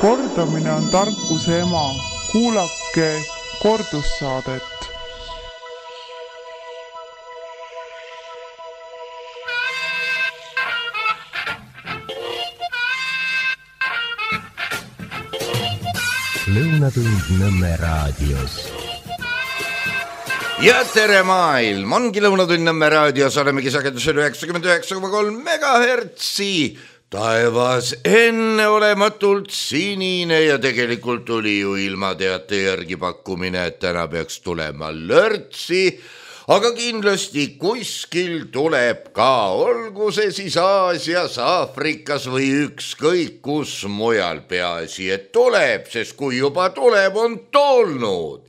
Kordamine on tarkuse ema. Kuulake kordussaadet. Lõunatund Nõmme raadios. Ja tere maailm, ongi Lõunatund Nõmme raadios, olemegi sagedusel 99,3 megahertsi. Taevas enneolematult sinine ja tegelikult tuli ju ilmateate järgi pakkumine, et täna peaks tulema lörtsi, aga kindlasti kuskil tuleb ka, olgu see siis Aasias, Aafrikas või ükskõik kus mujal, peaasi, et tuleb, sest kui juba tuleb, on tulnud.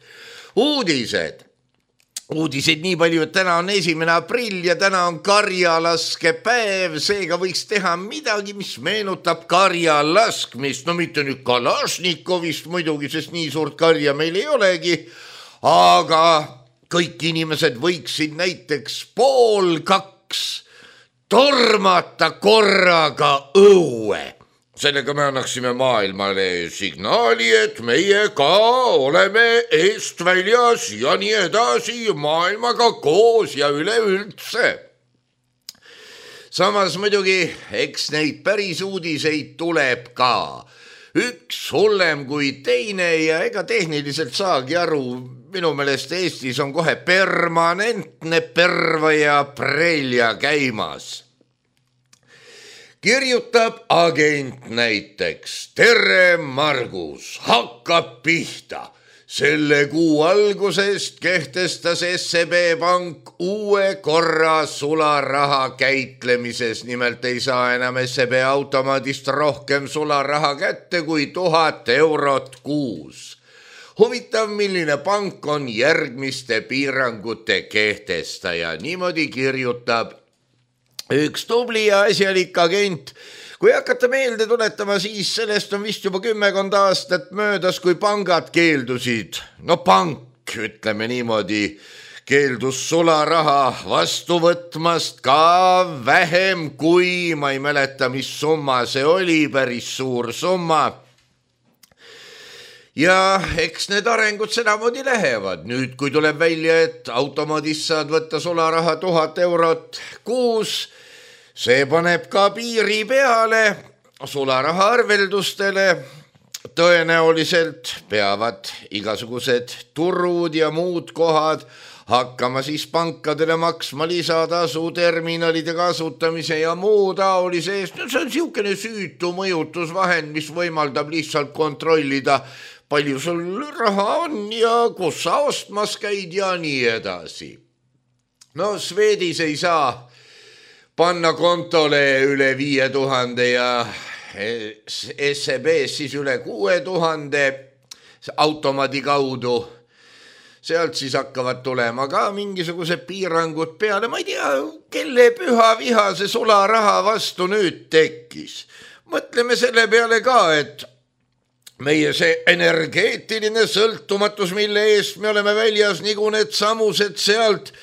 Uudiseid nii palju, et täna on 1. aprill ja täna on karjalaskepäev, seega võiks teha midagi, mis meenutab karjalaskmist. No mitte nüüd Kalašnikovist muidugi, sest nii suurt karja meil ei olegi, aga kõik inimesed võiksid näiteks 1:30 tormata korraga õue. Sellega me annaksime maailmale signaali, et meie ka oleme eest väljas ja nii edasi maailmaga koos ja üleüldse. Samas muidugi, eks neid päris uudiseid tuleb ka. Üks hullem kui teine ja ega tehniliselt saagi aru, minu meelest Eestis on kohe permanentne perva ja prelja käimas. Kirjutab agent näiteks, tere Margus, hakkab pihta. Selle kuu algusest kehtestas SEB Pank uue korra sularaha käitlemises. Nimelt ei saa enam SEB automaadist rohkem sularaha kätte kui 1000 eurot kuus. Huvitav, milline pank on järgmiste piirangute kehtestaja. Niimoodi kirjutab üks tubli ja asjalik agent. Kui hakata meelde tuletama, siis sellest on vist juba 10 aastat möödas, kui pangad keeldusid. No pank, ütleme niimoodi, keeldus sularaha vastu võtmast ka vähem kui, ma ei mäleta, mis summa see oli, päris suur summa. Ja eks need arengud sedamoodi lähevad. Nüüd, kui tuleb välja, et automaadist saad võtta sularaha 1000 eurot kuus, see paneb ka piiri peale sularaha arveldustele. Tõenäoliselt peavad igasugused turud ja muud kohad hakkama siis pankadele maksma lisatasu terminalide kasutamise ja muu taolise eest. See on siukene süütu mõjutusvahend, mis võimaldab lihtsalt kontrollida, palju sul raha on ja kus sa ostmas käid ja nii edasi. No Swedis ei saa panna kontole üle 5000 ja SEBs siis üle 6000 automaadi kaudu. Sealt siis hakkavad tulema ka mingisugused piirangud peale. Ma ei tea, kelle püha viha see sularaha vastu nüüd tekkis. Mõtleme selle peale ka, et meie see energeetiline sõltumatus, mille eest me oleme väljas nagu need samused sealt,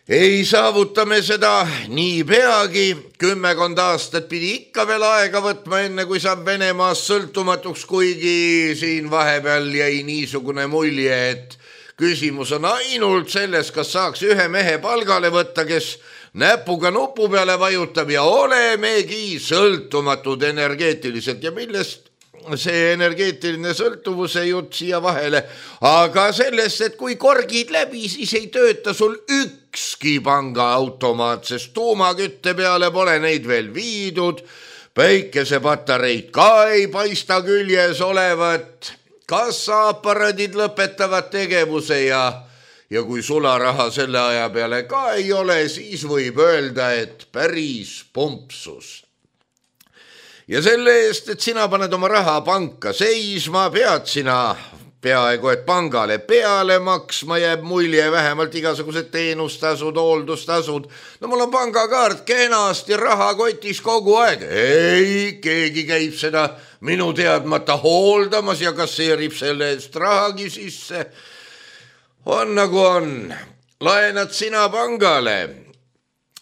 ei saavutame seda nii peagi. 10 aastat pidi ikka veel aega võtma, enne kui saab Venemaast sõltumatuks, kuigi siin vahepeal jäi niisugune mulje, et küsimus on ainult selles, kas saaks ühe mehe palgale võtta, kes näpuga nupu peale vajutab ja olemegi sõltumatud energeetiliselt. Ja millest see energeetiline sõltuvuse jutt siia vahele, aga sellest, et kui korgid läbi, siis ei tööta sul ükski pangaautomaat, sest tuumakütte peale pole neid veel viidud, päikesepatareid ka ei paista küljes olevat, kassaaparaadid lõpetavad tegevuse ja kui sularaha selle aja peale ka ei ole, siis võib öelda, et päris pumpsus. Ja selle eest, et sina paned oma raha panka seisma, pead sina peaaegu et pangale peale maksma, jääb mulje vähemalt igasugused teenustasud, hooldustasud. No mul on pangakaart kenasti rahakotis kogu aeg. Ei, keegi käib seda minu teadmata hooldamas ja kasseerib selle eest rahagi sisse. On nagu on. Laenad sina pangale.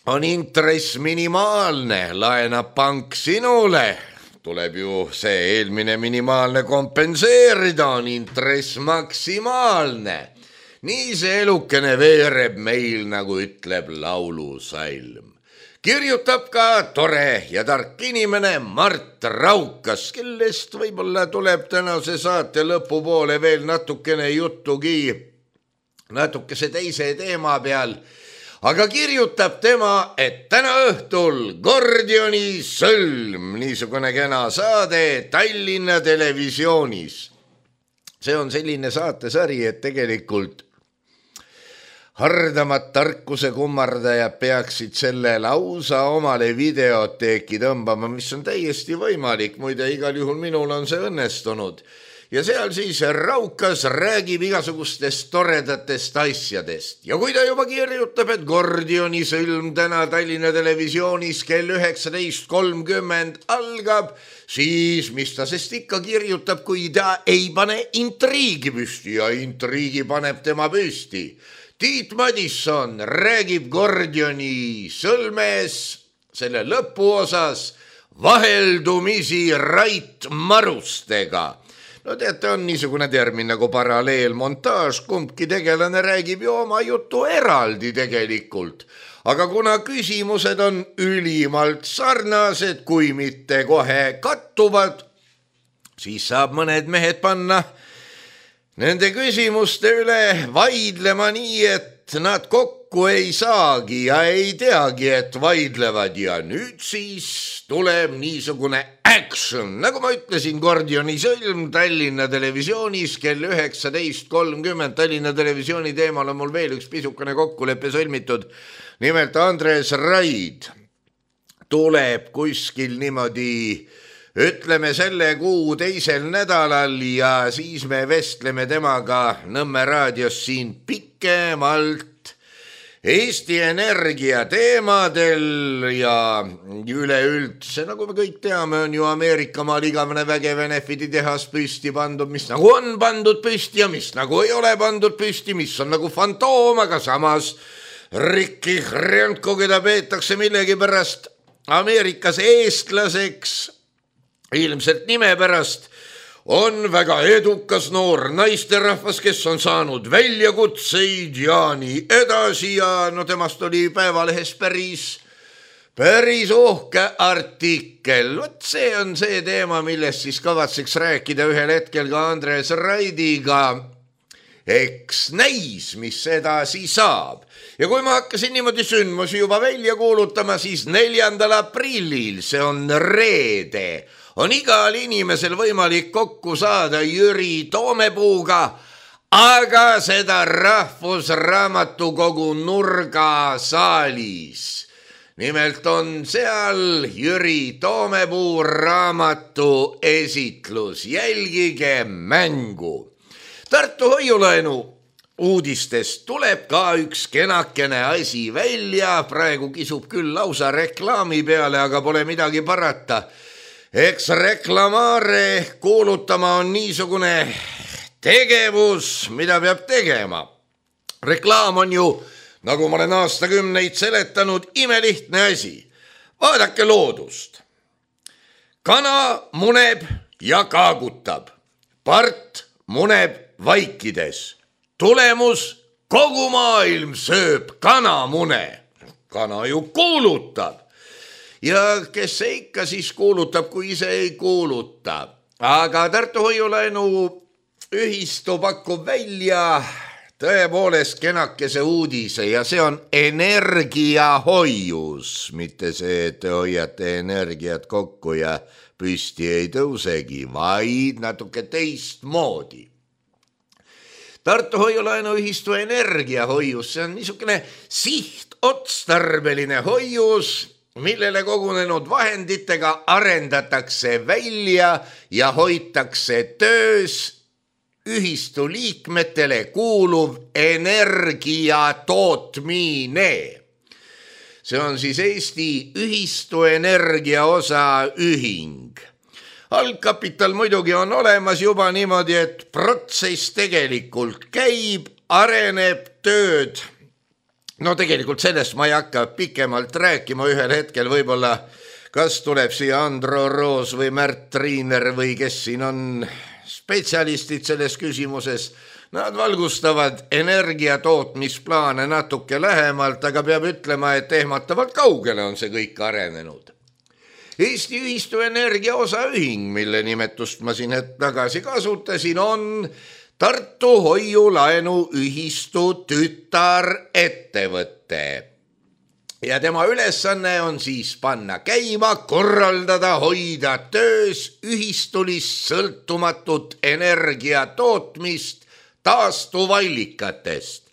On intress minimaalne, laenab pank sinule, tuleb ju see eelmine minimaalne kompenseerida, on intress maksimaalne. Nii see elukene veereb meil, nagu ütleb laulusalm. Kirjutab ka tore ja tark inimene Mart Raukas, kellest võib-olla tuleb tänase saate lõpupoole veel natukene juttugi, natukese teise teema peal. Aga kirjutab tema, et täna õhtul Gordioni sõlm, niisugune kena saade Tallinna Televisioonis. See on selline saatesari, et tegelikult hardamad tarkuse kummardajad peaksid selle lausa omale videoteeki tõmbama, mis on täiesti võimalik, muide igal juhul minul on see õnnestunud. Ja seal siis Raukas räägib igasugustest toredatest asjadest. Ja kui ta juba kirjutab, et Gordioni sõlm täna Tallinna Televisioonis kell 19.30 algab, siis mis ta sest ikka kirjutab, kui ta ei pane intriigi püsti ja intriigi paneb tema püsti. Tiit Madisson räägib Gordioni sõlmes selle lõpuosas vaheldumisi Rait Marustega. No teate, on niisugune termin nagu paralleelmontaaž, kumbki tegelane räägib ju oma jutu eraldi tegelikult. Aga kuna küsimused on ülimalt sarnased, kui mitte kohe kattuvad, siis saab mõned mehed panna nende küsimuste üle vaidlema nii, et nad kokku ei saagi ja ei teagi, et vaidlevad. Ja nüüd siis tuleb niisugune action. Nagu ma ütlesin, Gordioni sõlm Tallinna Televisioonis kell 19.30. Tallinna Televisiooni teemal on mul veel üks pisukene kokkuleppe sõlmitud. Nimelt Andres Raid tuleb kuskil niimoodi, ütleme selle kuu teisel nädalal ja siis me vestleme temaga Nõmme raadios siin pikemalt Eesti Energia teemadel ja üleüldse, nagu me kõik teame, on ju Ameerikamaal igavene vägev Enefiti tehas püsti pandud, mis nagu on pandud püsti ja mis nagu ei ole pandud püsti, mis on nagu fantoom, aga samas Rikki Hrjanko, keda peetakse millegipärast Ameerikas eestlaseks, ilmselt nime pärast, on väga edukas noor naisterahvas, kes on saanud väljakutseid ja nii edasi ja no temast oli Päevalehes päris uhke artikkel. Vot see on see teema, millest siis kavatseks rääkida ühel hetkel ka Andres Raidiga. Eks näis, mis edasi saab. Ja kui ma hakkasin niimoodi sündmusi juba välja kuulutama, siis 4. aprillil, see on reede, on igal inimesel võimalik kokku saada Jüri Toomepuuga, aga seda Rahvusraamatukogu nurgasaalis. Nimelt on seal Jüri Toomepuu raamatu esitlus. Jälgige mängu. Tartu hoiulaenu uudistest tuleb ka üks kenakene asi välja. Praegu kisub küll lausa reklaami peale, aga pole midagi parata. Eks reklamaare kuulutama on niisugune tegevus, mida peab tegema. Reklaam on ju, nagu ma olen aastakümneid seletanud, imelihtne asi. Vaadake loodust. Kana muneb ja kaagutab. Part muneb vaikides. Tulemus, kogu maailm sööb kanamune. Kana ju kuulutab. Ja kes see ikka siis kuulutab, kui ise ei kuuluta. Aga Tartu hoiulaenu ühistu pakub välja tõepoolest kenakese uudise ja see on energiahoius. Mitte see, et te hoiate energiat kokku ja püsti ei tõusegi, vaid natuke teistmoodi. Tartu hoiulaenu ühistu energiahoius, see on niisugune sihtotstarbeline hoius, millele kogunenud vahenditega arendatakse välja ja hoitakse töös ühistu liikmetele kuuluv energia tootmine. See on siis Eesti ühistu energia osa ühing. Algkapital muidugi on olemas juba niimoodi, et protsess tegelikult käib, areneb tööd. No tegelikult sellest ma ei hakka pikemalt rääkima, ühel hetkel võib-olla kas tuleb siia Andro Roos või Märt Triiner või kes siin on spetsialistid selles küsimuses. Nad valgustavad energiatootmisplaane natuke lähemalt, aga peab ütlema, et ehmatavalt kaugele on see kõik arenenud. Eesti Ühistu Energia Osaühing, mille nimetust ma siin hetk tagasi kasutasin, on Tartu Hoiu-Laenuühistu tütarettevõte. Ja tema ülesanne on siis panna käima, korraldada, hoida töös ühistulist sõltumatut energiatootmist taastuvallikatest.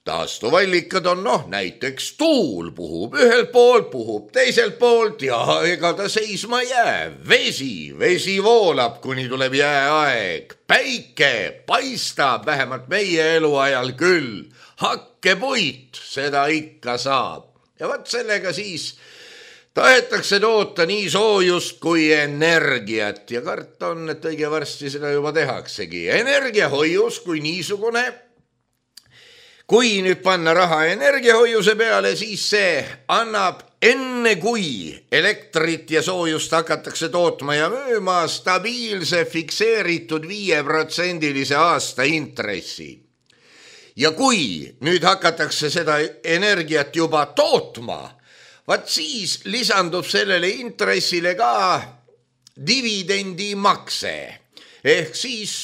Taastuvallikad on näiteks tuul puhub ühelt poolt, puhub teiselt poolt ja ega ta seisma jää. Vesi voolab, kuni tuleb jääaeg. Päike paistab, vähemalt meie eluajal küll. Hakkepuit, seda ikka saab. Ja vaat sellega siis tahetakse toota nii soojust kui energiat ja karta on, et õige varsti seda juba tehaksegi. Energiahoius kui niisugune. Kui nüüd panna raha energiahoiuse peale, siis see annab enne kui elektrit ja soojust hakatakse tootma ja müüma stabiilse fikseeritud 5% aasta intressi. Ja kui nüüd hakatakse seda energiat juba tootma, vaat siis lisandub sellele intressile ka dividendimakse ehk siis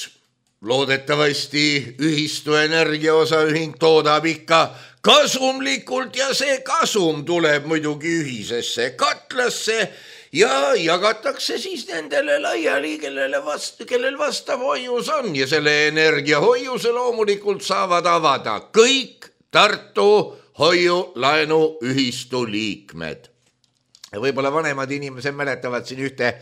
loodetavasti Ühistu Energia Osaühing toodab ikka kasumlikult ja see kasum tuleb muidugi ühisesse katlasse ja jagatakse siis nendele laiali, kellel vastav hoius on ja selle energiahoiuse loomulikult saavad avada kõik Tartu Hoiu-Laenuühistu liikmed. Ja võib-olla vanemad inimesed mäletavad siin ühte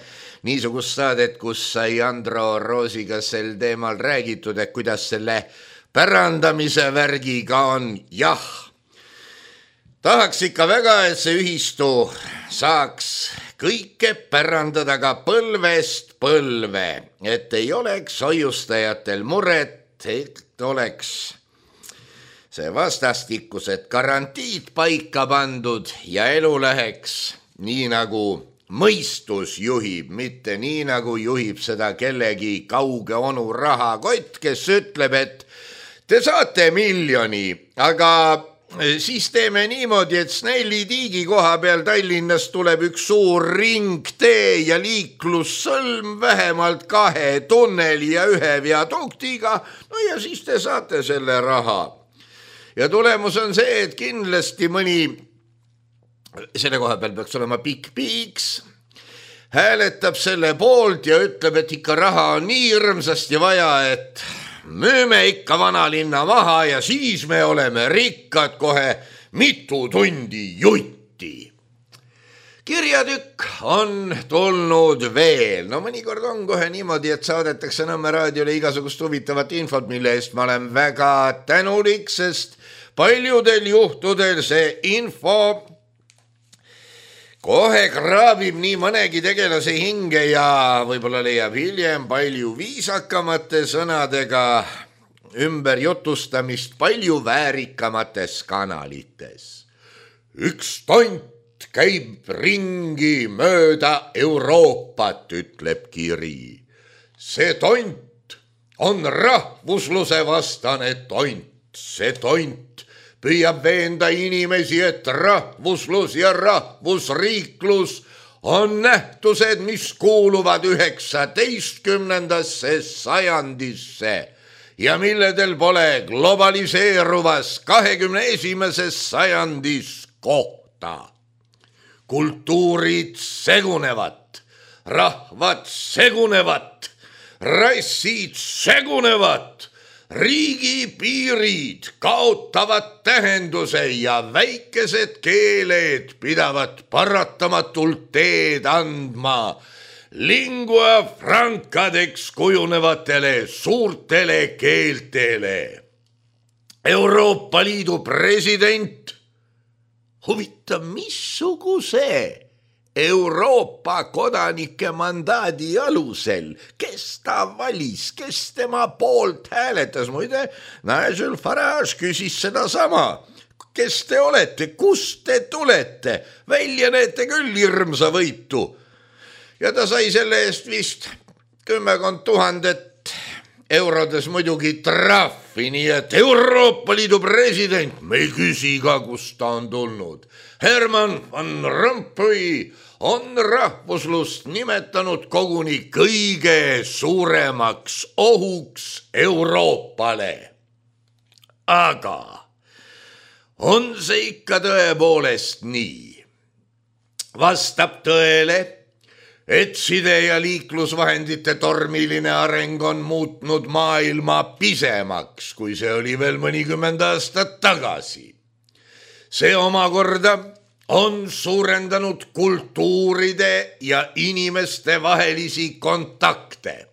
niisugust saadet, kus sai Andro Roosiga sel teemal räägitud, et kuidas selle pärandamise värgiga on. Jah, tahaks ikka väga, et see ühistu saaks kõike pärandada ka põlvest põlve, et ei oleks hoiustajatel muret, et oleks see vastastikused garantiid paika pandud ja elu läheks nii nagu mõistus juhib, mitte nii nagu juhib seda kellegi kauge onu rahakott, kes ütleb, et te saate 1 miljoni, aga siis teeme niimoodi, et Snelli tiigi koha peal Tallinnas tuleb üks suur ringtee ja liiklussõlm vähemalt 2 tunneli ja 1 viaduktiga, no ja siis te saate selle raha. Ja tulemus on see, et kindlasti mõni selle koha peal peaks olema pikk piiks, hääletab selle poolt ja ütleb, et ikka raha on nii hirmsasti vaja, et müüme ikka vanalinna maha ja siis me oleme rikkad kohe mitu tundi jutti. Kirjatükk on tulnud veel. No mõnikord on kohe niimoodi, et saadetakse Nõmme raadiole igasugust huvitavat infot, mille eest ma olen väga tänulik, sest paljudel juhtudel see info kohe kraabib nii mõnegi tegelase hinge ja võib-olla leiab hiljem palju viisakamate sõnadega ümberjutustamist palju väärikamates kanalites. Üks tont käib ringi mööda Euroopat, ütleb kiri. See tont on rahvusluse vastane tont. See tont püüab veenda inimesi, et rahvuslus ja rahvusriiklus on nähtused, mis kuuluvad 19. sajandisse ja milledel pole globaliseeruvas 21. sajandis kohta. Kultuurid segunevad, rahvad segunevad, rassid segunevad, riigipiirid kaotavad tähenduse ja väikesed keeled pidavad paratamatult teed andma lingua francadeks kujunevatele suurtele keeltele. Euroopa Liidu president, huvitav, missuguse Euroopa kodanike mandaadi alusel, kes ta valis, kes tema poolt hääletas. Muide, Nigel Farage küsis seda sama. kes te olete, kust te tulete, välja näete küll hirmsa võitu. Ja ta sai selle eest vist 10 000 eurodes muidugi trahvi, nii et Euroopa Liidu president, me ei küsi ka, kust ta on tulnud. Herman Van Rompuy on rahvuslust nimetanud koguni kõige suuremaks ohuks Euroopale. Aga on see ikka tõepoolest nii? Vastab tõele, et side- ja liiklusvahendite tormiline areng on muutnud maailma pisemaks, kui see oli veel mõnikümmend aastat tagasi. See omakorda on suurendanud kultuuride ja inimeste vahelisi kontakte.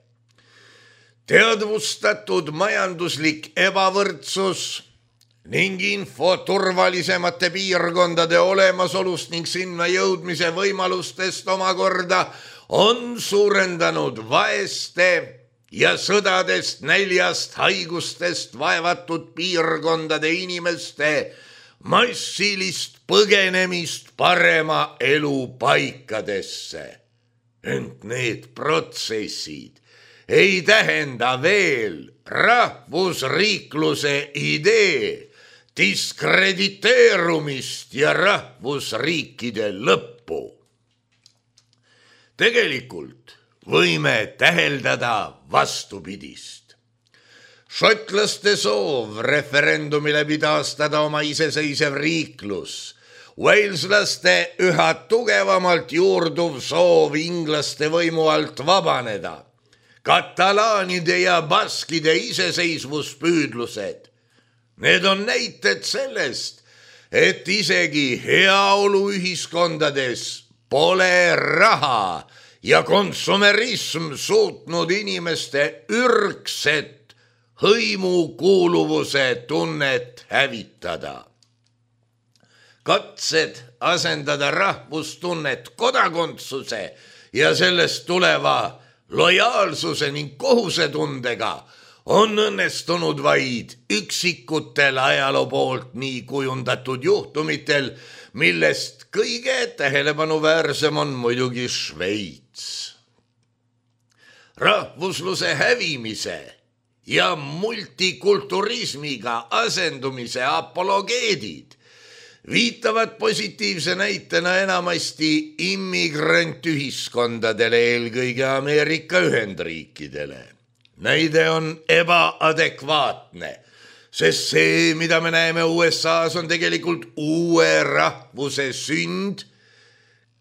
Teadvustatud majanduslik ebavõrdsus ning info turvalisemate piirkondade olemasolust ning sinna jõudmise võimalustest omakorda on suurendanud vaeste ja sõdadest, näljast, haigustest vaevatud piirkondade inimeste massilist põgenemist parema elu paikadesse. Ent need protsessid ei tähenda veel rahvusriikluse idee diskrediteerumist ja rahvusriikide lõppu. Tegelikult võime täheldada vastupidist. Šotlaste soov referendumi läbi taastada oma iseseisev riiklus, Waleslaste üha tugevamalt juurduv soov inglaste võimu alt vabaneda, katalaanide ja baskide iseseisvuspüüdlused. Need on näited sellest, et isegi heaoluühiskondades pole raha ja konsumerism suutnud inimeste ürgset hõimukuuluvuse tunnet hävitada. Katsed asendada rahvustunnet kodakondsuse ja sellest tuleva lojaalsuse ning kohusetundega on õnnestunud vaid üksikutel ajaloo poolt nii kujundatud juhtumitel, millest kõige tähelepanu-väärsem on muidugi Šveits. Rahvusluse hävimise ja multikulturismiga asendumise apologeedid viitavad positiivse näitena enamasti immigrantühiskondadele, eelkõige Ameerika Ühendriikidele. Näide on ebaadekvaatne, sest see, mida me näeme USA-s, on tegelikult uue rahvuse sünd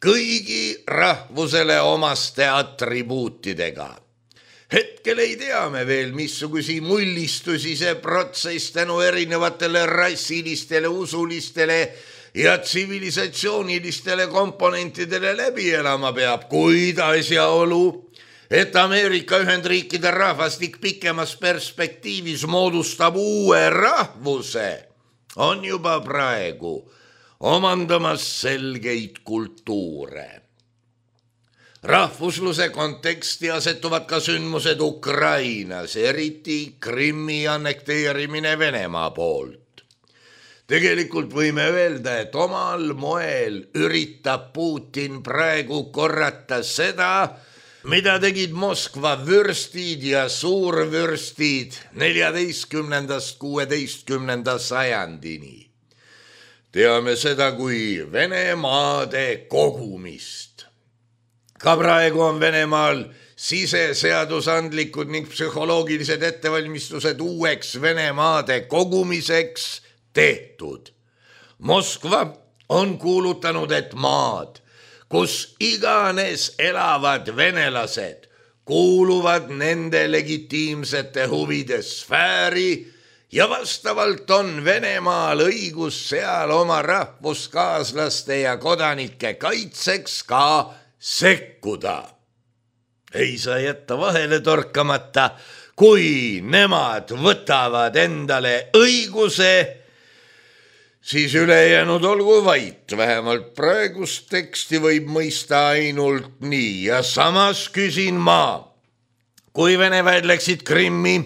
kõigi rahvusele omaste atribuutidega. Hetkel ei tea me veel, missugusi mullistusi see protsess tänu erinevatele rassilistele, usulistele ja tsivilisatsioonilistele komponentidele läbi elama peab, kuid asjaolu, et Ameerika Ühendriikide rahvastik pikemas perspektiivis moodustab uue rahvuse, on juba praegu omandamas selgeid kultuure. Rahvusluse konteksti asetuvad ka sündmused Ukrainas, eriti Krimmi annekteerimine Venemaa poolt. Tegelikult võime öelda, et omal moel üritab Putin praegu korrata seda, mida tegid Moskva vürstid ja suurvürstid 14.–16. sajandini. Teame seda kui Venemaade kogumist. Ka praegu on Venemaal siseseadusandlikud ning psühholoogilised ettevalmistused uueks Venemaade kogumiseks tehtud. Moskva on kuulutanud, et maad, kus iganes elavad venelased, kuuluvad nende legitiimsete huvide sfääri ja vastavalt on Venemaal õigus seal oma rahvuskaaslaste ja kodanike kaitseks ka sekkuda. Ei saa jätta vahele torkamata, kui nemad võtavad endale õiguse, siis ülejäänud olgu vait, vähemalt praegust teksti võib mõista ainult nii. Ja samas küsin ma, kui Vene väed läksid Krimmi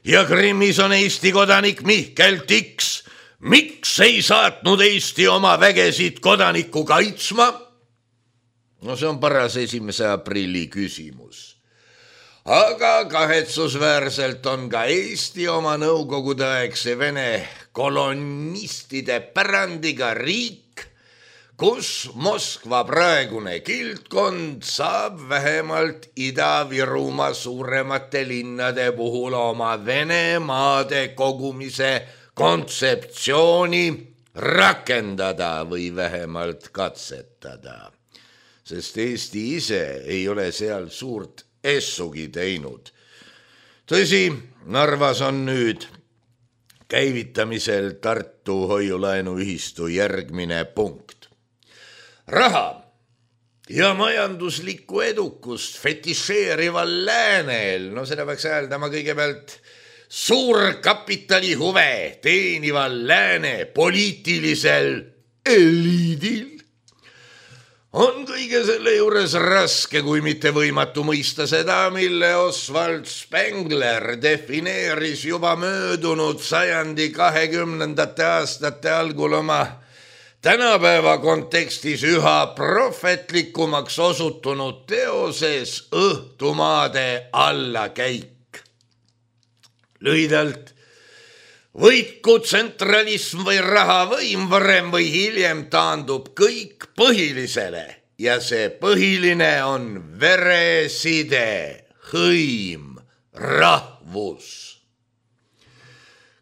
ja Krimmis on Eesti kodanik Mihkel Tiks, miks ei saatnud Eesti oma vägesid kodanikku kaitsma? No see on paras 1. aprilli küsimus. Aga kahetsusväärselt on ka Eesti oma nõukogudeaegse Vene kolonistide pärandiga riik, kus Moskva praegune kildkond saab vähemalt Ida-Virumaa suuremate linnade puhul oma Venemaade kogumise kontseptsiooni rakendada või vähemalt katsetada, sest Eesti ise ei ole seal suurt essugi teinud. Tõsi, Narvas on nüüd käivitamisel Tartu hoiulaenuühistu järgmine punkt. Raha ja majanduslikku edukust fetišeerival läänel, no seda peaks hääldama kõigepealt suurkapitali huve teenival lääne poliitilisel eliidil, on kõige selle juures raske, kui mitte võimatu mõista seda, mille Oswald Spengler defineeris juba möödunud sajandi 20. aastate algul oma tänapäeva kontekstis üha prohvetlikumaks osutunud teoses Õhtumaade allakäik. Lühidalt, võitku tsentralism või rahavõim varem või hiljem taandub kõik põhilisele ja see põhiline on vereside, hõim, rahvus.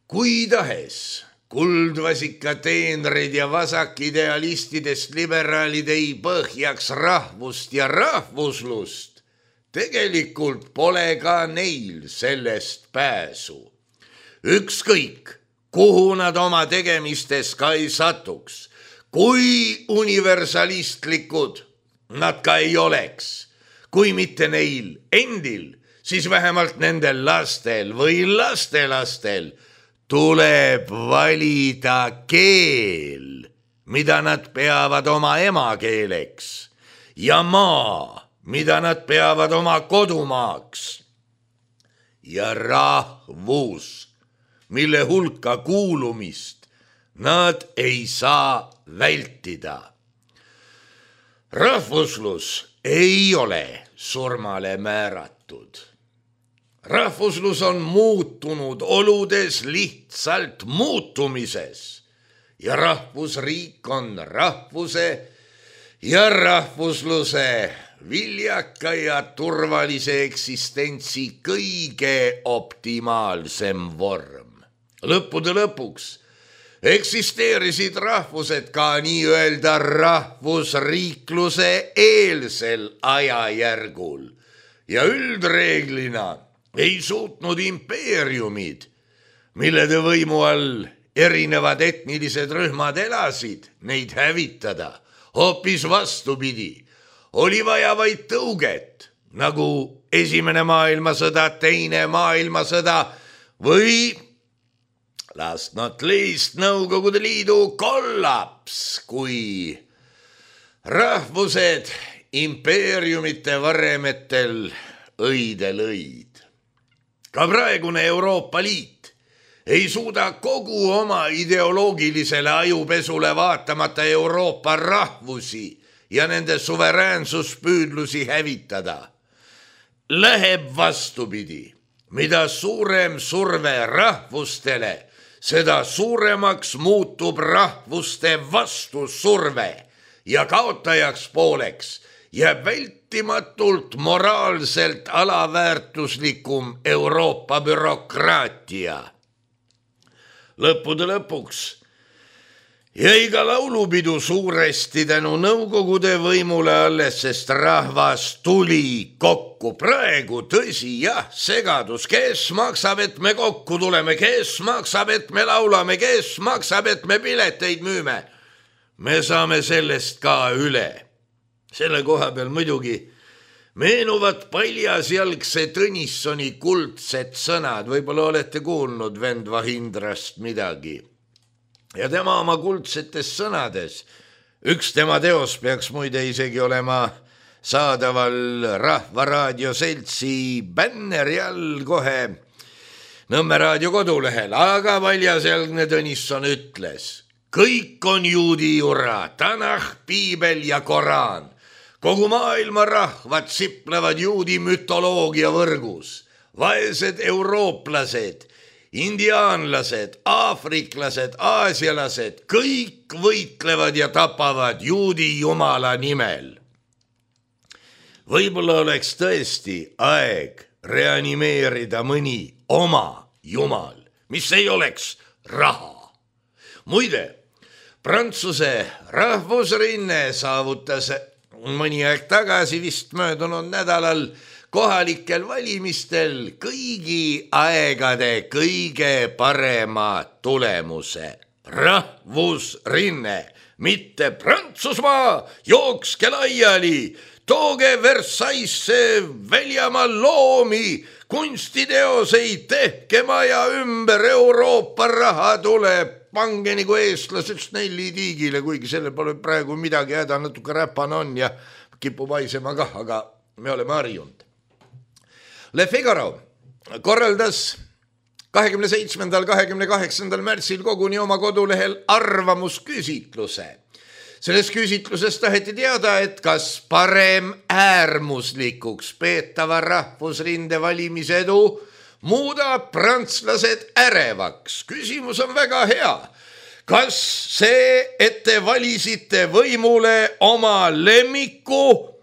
Kui tahes kuldvasika teenrid ja vasakidealistidest liberaalid ei põhjaks rahvust ja rahvuslust, tegelikult pole ka neil sellest pääsu. Ükskõik, kuhu nad oma tegemistes ka ei satuks, kui universalistlikud nad ka ei oleks, kui mitte neil endil, siis vähemalt nendel lastel või lastelastel tuleb valida keel, mida nad peavad oma emakeeleks, ja maa, mida nad peavad oma kodumaaks, ja rahvus, mille hulka kuulumist nad ei saa vältida. Rahvuslus ei ole surmale määratud. Rahvuslus on muutunud oludes lihtsalt muutumises ja rahvusriik on rahvuse ja rahvusluse viljaka ja turvalise eksistentsi kõige optimaalsem vorm. Lõppude lõpuks eksisteerisid rahvused ka nii-öelda rahvusriikluse eelsel ajajärgul ja üldreeglina ei suutnud impeeriumid, millede võimu all erinevad etnilised rühmad elasid, neid hävitada. Hoopis vastupidi, oli vaja vaid tõuget, nagu Esimene maailmasõda, Teine maailmasõda või last not least Nõukogude Liidu kollaps, kui rahvused impeeriumite varemetel õide lõid. Ka praegune Euroopa Liit ei suuda kogu oma ideoloogilisele ajupesule vaatamata Euroopa rahvusi ja nende suveräänsuspüüdlusi hävitada. Läheb vastupidi, mida suurem surve rahvustele, seda suuremaks muutub rahvuste vastusurve ja kaotajaks pooleks jääb vältimatult moraalselt alaväärtuslikum Euroopa bürokraatia. Lõppude lõpuks jäi ka laulupidu suuresti tänu Nõukogude võimule alles, sest rahvas tuli kokku. Praegu tõsi, jah, segadus, kes maksab, et me kokku tuleme, kes maksab, et me laulame, kes maksab, et me pileteid müüme. Me saame sellest ka üle. Selle koha peal muidugi meenuvad paljasjalgse Tõnissoni kuldsed sõnad, võib-olla olete kuulnud vend Vahindrast midagi. Ja tema oma kuldsetes sõnades, üks tema teos peaks muide isegi olema saadaval Rahvaraadio seltsi bänneri all kohe. Nõmme raadio kodulehel, aga Paljasjalgne Tõnisson ütles: kõik on juudi jura, Tanah, Piibel ja Koraan. Kogu maailma rahvad siplevad juudi mütoloogia võrgus. Vaesed eurooplased, indiaanlased, aafriklased, aasialased, kõik võitlevad ja tapavad juudi jumala nimel. Võib-olla oleks tõesti aeg reanimeerida mõni oma jumal, mis ei oleks raha. Muide, Prantsuse rahvusrinne saavutas mõni aeg tagasi vist möödunud nädalal kohalikel valimistel kõigi aegade kõige parema tulemuse. Rahvusrinne, mitte Prantsusmaa, jookske laiali, tooge Versaillesse väljamaal loomi, kunstiteoseid, tehke maja ümber, Euroopa raha tuleb, pange nagu eestlased Snelli tiigile, kuigi selle pole praegu midagi häda, natuke räpane on ja kipub haisema kah, aga me oleme harjunud. Le Figaro korraldas 27. 28. märtsil koguni oma kodulehel arvamusküsitluse. Selles küsitluses taheti teada, et kas parem äärmuslikuks peetava rahvusrinde valimisedu muudab prantslased ärevaks. Küsimus on väga hea. Kas see, et te valisite võimule oma lemmiku,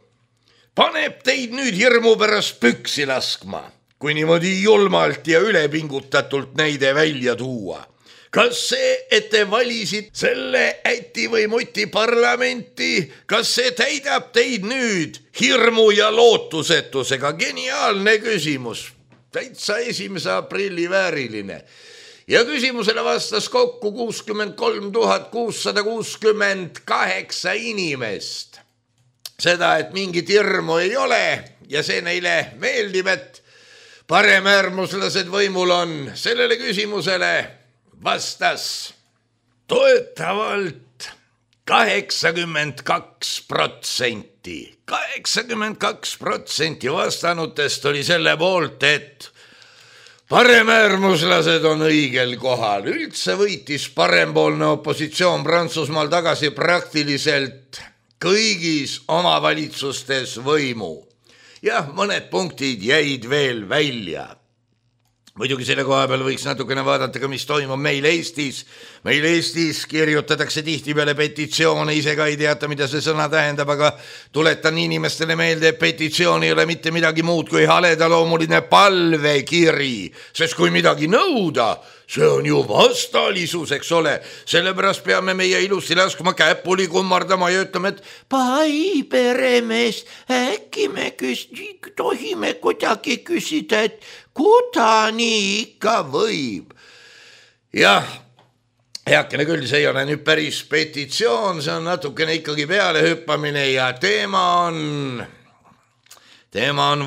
paneb teid nüüd hirmu pärast püksi laskma, kui niimoodi julmalt ja ülepingutatult näide välja tuua? Kas see, et te valisid selle äti või muti parlamenti, kas see täidab teid nüüd hirmu ja lootusetusega? Geniaalne küsimus, täitsa 1. aprilli vääriline. Ja küsimusele vastas kokku 63 668 inimest. Seda, et mingit hirmu ei ole ja see neile meeldib, et paremäärmuslased võimul on, sellele küsimusele vastas toetavalt 82%. 82% vastanutest oli selle poolt, et paremäärmuslased on õigel kohal. Üldse võitis parempoolne opositsioon Prantsusmaal tagasi praktiliselt kõigis omavalitsustes võimu. Jah, mõned punktid jäid veel välja. Muidugi selle koha peal võiks natukene vaadata ka, mis toimub meil Eestis. Meil Eestis kirjutatakse tihtipeale petitsioone, ise ka ei teata, mida see sõna tähendab, aga tuletan inimestele meelde, et petitsioon ei ole mitte midagi muud kui haledaloomuline palvekiri, sest kui midagi nõuda, see on ju vastalisus, eks ole. Sellepärast peame meie ilusti laskma käpuli kummardama ja ütlema, et pai peremees, äkki me tohime kuidagi küsida, et kuda nii ikka võib. Jah, heakene küll, see ei ole nüüd päris petitsioon, see on natukene ikkagi pealehüppamine ja teema on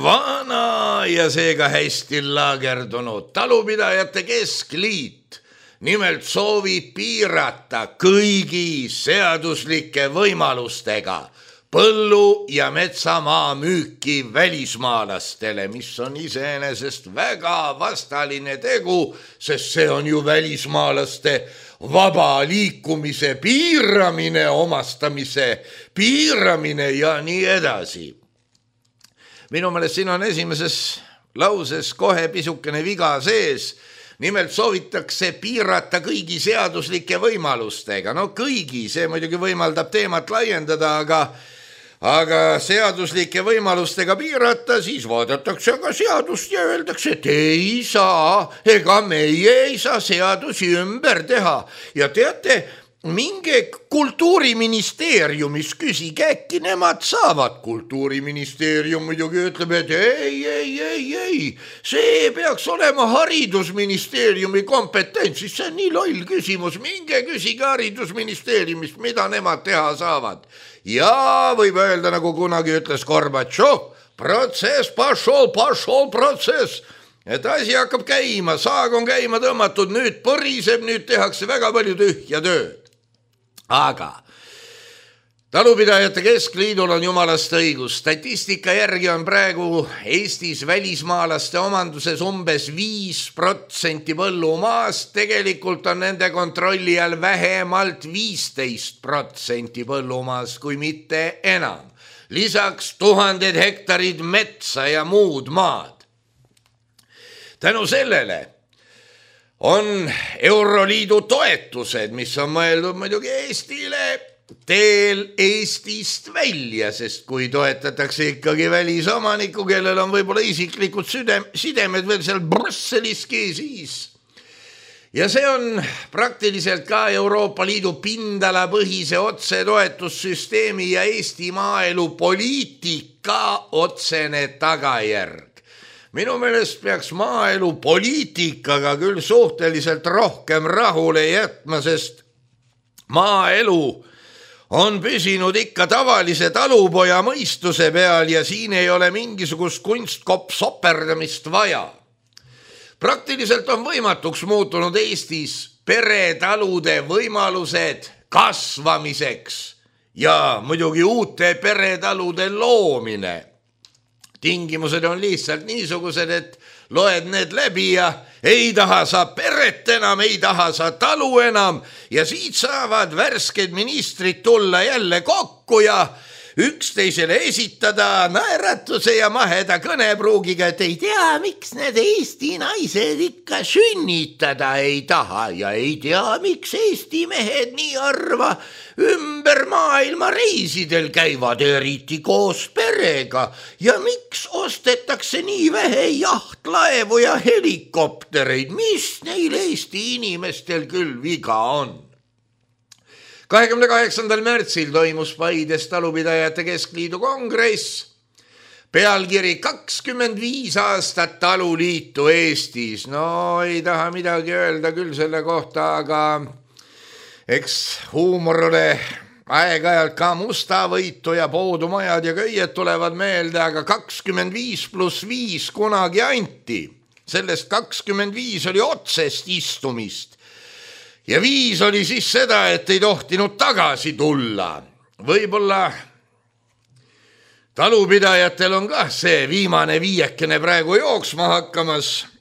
vana ja seega hästi laagerdunud. Talupidajate keskliit nimelt soovib piirata kõigi seaduslike võimalustega põllu- ja metsamaa müüki välismaalastele, mis on iseenesest väga vastaline tegu, sest see on ju välismaalaste vaba liikumise piiramine, omastamise piiramine ja nii edasi. Minu meelest siin on esimeses lauses kohe pisukene viga sees. Nimelt soovitakse piirata kõigi seaduslike võimalustega. No kõigi, see muidugi võimaldab teemat laiendada, aga seaduslike võimalustega piirata, siis vaadatakse aga seadust ja öeldakse, et ei saa, ega meie ei saa seadusi ümber teha. Ja teate, minge kultuuriministeeriumis küsige, äkki nemad saavad. Kultuuriministeerium muidugi ütleb, et ei, see peaks olema haridusministeeriumi kompetentsis, see on nii loll küsimus, minge küsige haridusministeeriumist, mida nemad teha saavad. Ja võib öelda, nagu kunagi ütles Gorbatšov, protsess, pašol protsess. Et asi hakkab käima, saag on käima tõmmatud, nüüd põriseb, nüüd tehakse väga palju tühja tööd. Aga Talupidajate Keskliidul on jumalast õigus. Statistika järgi on praegu Eestis välismaalaste omanduses umbes 5% põllumaast. Tegelikult on nende kontrolli all vähemalt 15% põllumaast, kui mitte enam. Lisaks 1000 hektarid metsa ja muud maad. Tänu sellele on Euroliidu toetused, mis on mõeldud muidugi Eestile, teel Eestist välja, sest kui toetatakse ikkagi välisomanikku, kellel on võib-olla isiklikud sidemed veel seal Brüsseliski, siis. Ja see on praktiliselt ka Euroopa Liidu pindalapõhise otsetoetussüsteemi ja Eesti maaelu poliitika otsene tagajärg. Minu meelest peaks maaelu poliitikaga küll suhteliselt rohkem rahule jätma, sest maaelu on püsinud ikka tavalise talupoja mõistuse peal ja siin ei ole mingisugust kunstkopp-soperdamist vaja. Praktiliselt on võimatuks muutunud Eestis peretalude võimalused kasvamiseks ja muidugi uute peretalude loomine. Tingimused on lihtsalt niisugused, et loed need läbi ja ei taha sa peret enam, ei taha sa talu enam ja siit saavad värsked ministrid tulla jälle kokku ja üksteisele esitada naeratuse ja maheda kõnepruugiga, et ei tea, miks need Eesti naised ikka sünnitada ei taha ja ei tea, miks Eesti mehed nii harva ümber maailma reisidel käivad, eriti koos perega ja miks ostetakse nii vähe jahtlaevu ja helikoptereid, mis neil Eesti inimestel küll viga on. 28. märtsil toimus Paides Talupidajate Keskliidu kongress, pealkiri 25 aastat taluliitu Eestis. No ei taha midagi öelda küll selle kohta, aga eks huumorile aeg-ajalt ka Mustavõitu ja Poodumajad ja köied tulevad meelde, aga 25+5 kunagi anti. Sellest 25 oli otsest istumist. Ja 5 oli siis seda, et ei tohtinud tagasi tulla. Võib-olla talupidajatel on ka see viimane viiekene praegu jooksma hakkamas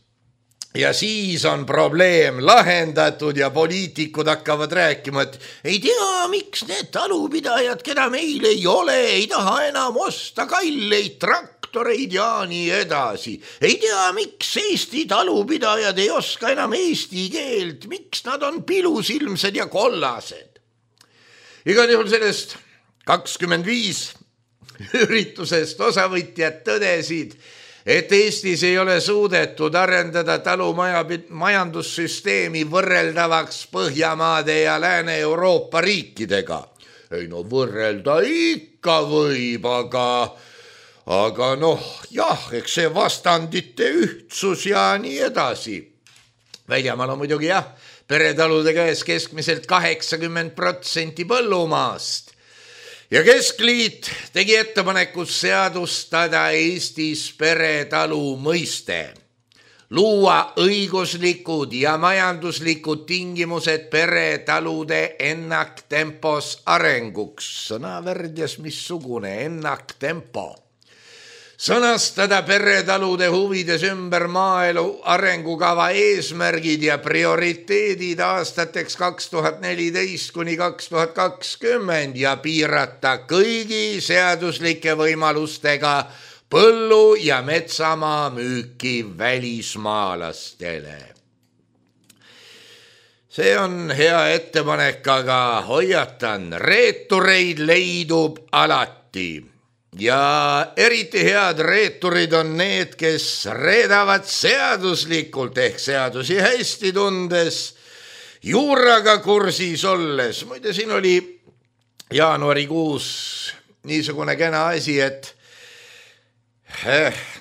ja siis on probleem lahendatud ja poliitikud hakkavad rääkima, et ei tea, miks need talupidajad, keda meil ei ole, ei taha enam osta kalleid traktoreid ja nii edasi. Ei tea, miks Eesti talupidajad ei oska enam eesti keelt, miks nad on pilusilmsed ja kollased. Igal juhul sellest 25 üritusest osavõtjad tõdesid, et Eestis ei ole suudetud arendada talumajandussüsteemi võrreldavaks Põhjamaade ja Lääne-Euroopa riikidega. Ei no võrrelda ikka võib, aga noh, jah, eks see vastandite ühtsus ja nii edasi. Väljamaal on muidugi jah, peretalude käes keskmiselt 80% põllumaast. Ja Keskliit tegi ettepanekud seadustada Eestis peretalu mõiste. Luua õiguslikud ja majanduslikud tingimused peretalude ennaktempos arenguks. Sõnavärdjas missugune ennaktempo. Sõnastada peretalude huvides ümber maaelu arengukava eesmärgid ja prioriteedid aastateks 2014–2020 ja piirata kõigi seaduslike võimalustega põllu- ja metsamaa müüki välismaalastele. See on hea ettepanek, aga hoiatan, reetureid leidub alati. Ja eriti head reeturid on need, kes reedavad seaduslikult ehk seadusi hästi tundes, juuraga kursis olles. Muide, siin oli jaanuarikuus niisugune kena asi, et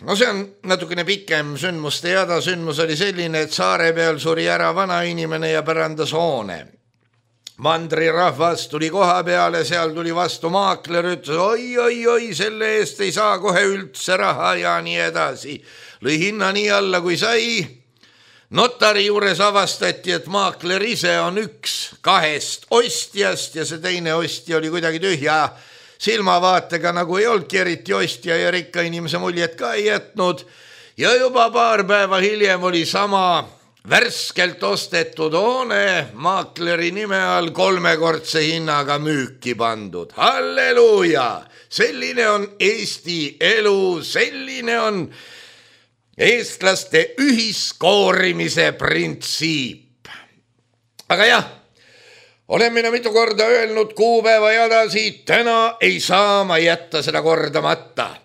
no see on natukene pikem sündmuste jada. Sündmus oli selline, et saare peal suri ära vana inimene ja pärandas hoone. Mandri rahvas tuli koha peale, seal tuli vastu maakler, ütles oi, selle eest ei saa kohe üldse raha ja nii edasi. Lõi hinna nii alla kui sai. Notari juures avastati, et maakler ise on üks 2 ostjast ja see teine ostja oli kuidagi tühja silmavaatega, nagu ei olnudki eriti ostja ja rikka inimese muljet ka ei jätnud. Ja juba paar päeva hiljem oli sama värskelt ostetud hoone maakleri nime all 3-kordse hinnaga müüki pandud. Halleluuja! Selline on Eesti elu, selline on eestlaste ühiskoorimise printsiip. Aga jah, olen mina mitu korda öelnud kuupäeva jadasi, täna ei saa ma jätta seda kordamata.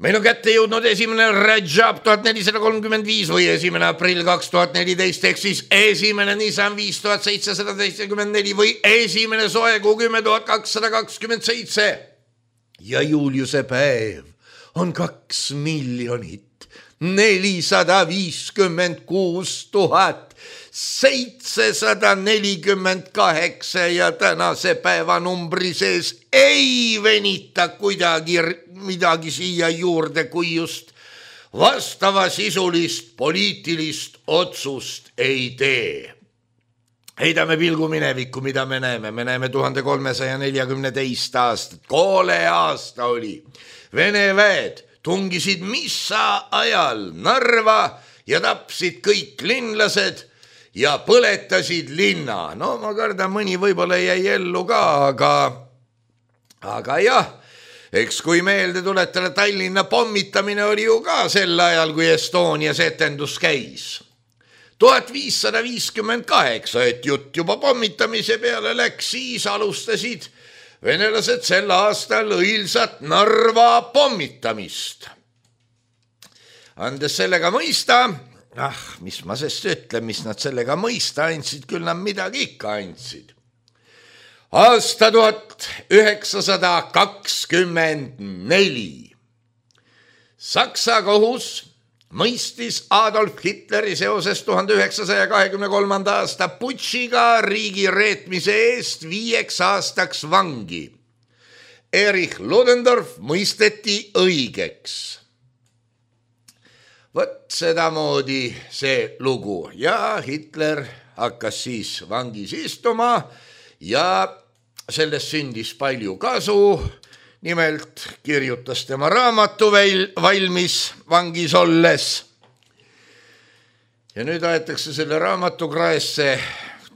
Meil on kätte jõudnud 1. Rajab 1435 või 1. aprill 2014 ehk siis 1. Nisan 5774 või 1. soekuu 10227. Ja Juliuse päev on 2 456 748 ja tänase päevanumbri sees ei venita kuidagi midagi siia juurde, kui just vastavasisulist poliitilist otsust ei tee. Heidame pilgu minevikku, mida me näeme. Me näeme 1342 aastat. Koole aasta oli. Vene väed tungisid missa ajal Narva ja tapsid kõik linlased ja põletasid linna. No ma kardan, mõni võib-olla jäi ellu ka, aga jah, eks kui meelde tuletada, Tallinna pommitamine oli ju ka sel ajal, kui Estonias etendus käis. 1558, et jutt juba pommitamise peale läks, siis alustasid venelased sel aastal õilsat Narva pommitamist. Andes sellega mõista, mis ma sest ütlen, mis nad sellega mõista andsid, küll nad midagi ikka andsid. Aasta 1924. Saksa kohus mõistis Adolf Hitleri seoses 1923. aasta putšiga riigi reetmise eest 5 aastaks vangi. Erich Ludendorff mõisteti õigeks. Võt sedamoodi see lugu ja Hitler hakkas siis vangis istuma ja sellest sündis palju kasu. Nimelt kirjutas tema raamatu valmis vangis olles. Ja nüüd aetakse selle raamatu kraesse,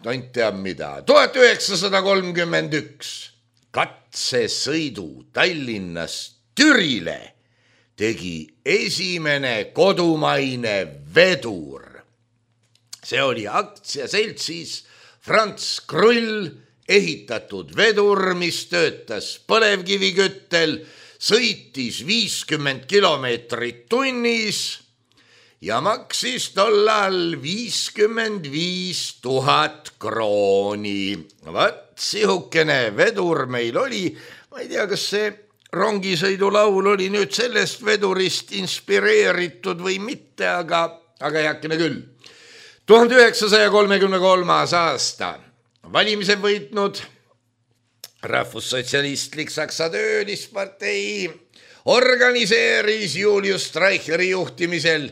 tont teab mida. 1931 katsesõidu Tallinnast Türile tegi esimene kodumaine vedur. See oli aktsiaseltsis Franz Krull ehitatud vedur, mis töötas põlevkiviküttel, sõitis 50 kilomeetrit tunnis ja maksis tollal 55 000 krooni. Vat sihukene vedur meil oli. Ma ei tea, kas see rongisõidulaul oli nüüd sellest vedurist inspireeritud või mitte, aga heakene küll. 1933. aasta. Valimised võitnud rahvussotsialistlik Saksa töölispartei organiseeris Julius Streicheri juhtimisel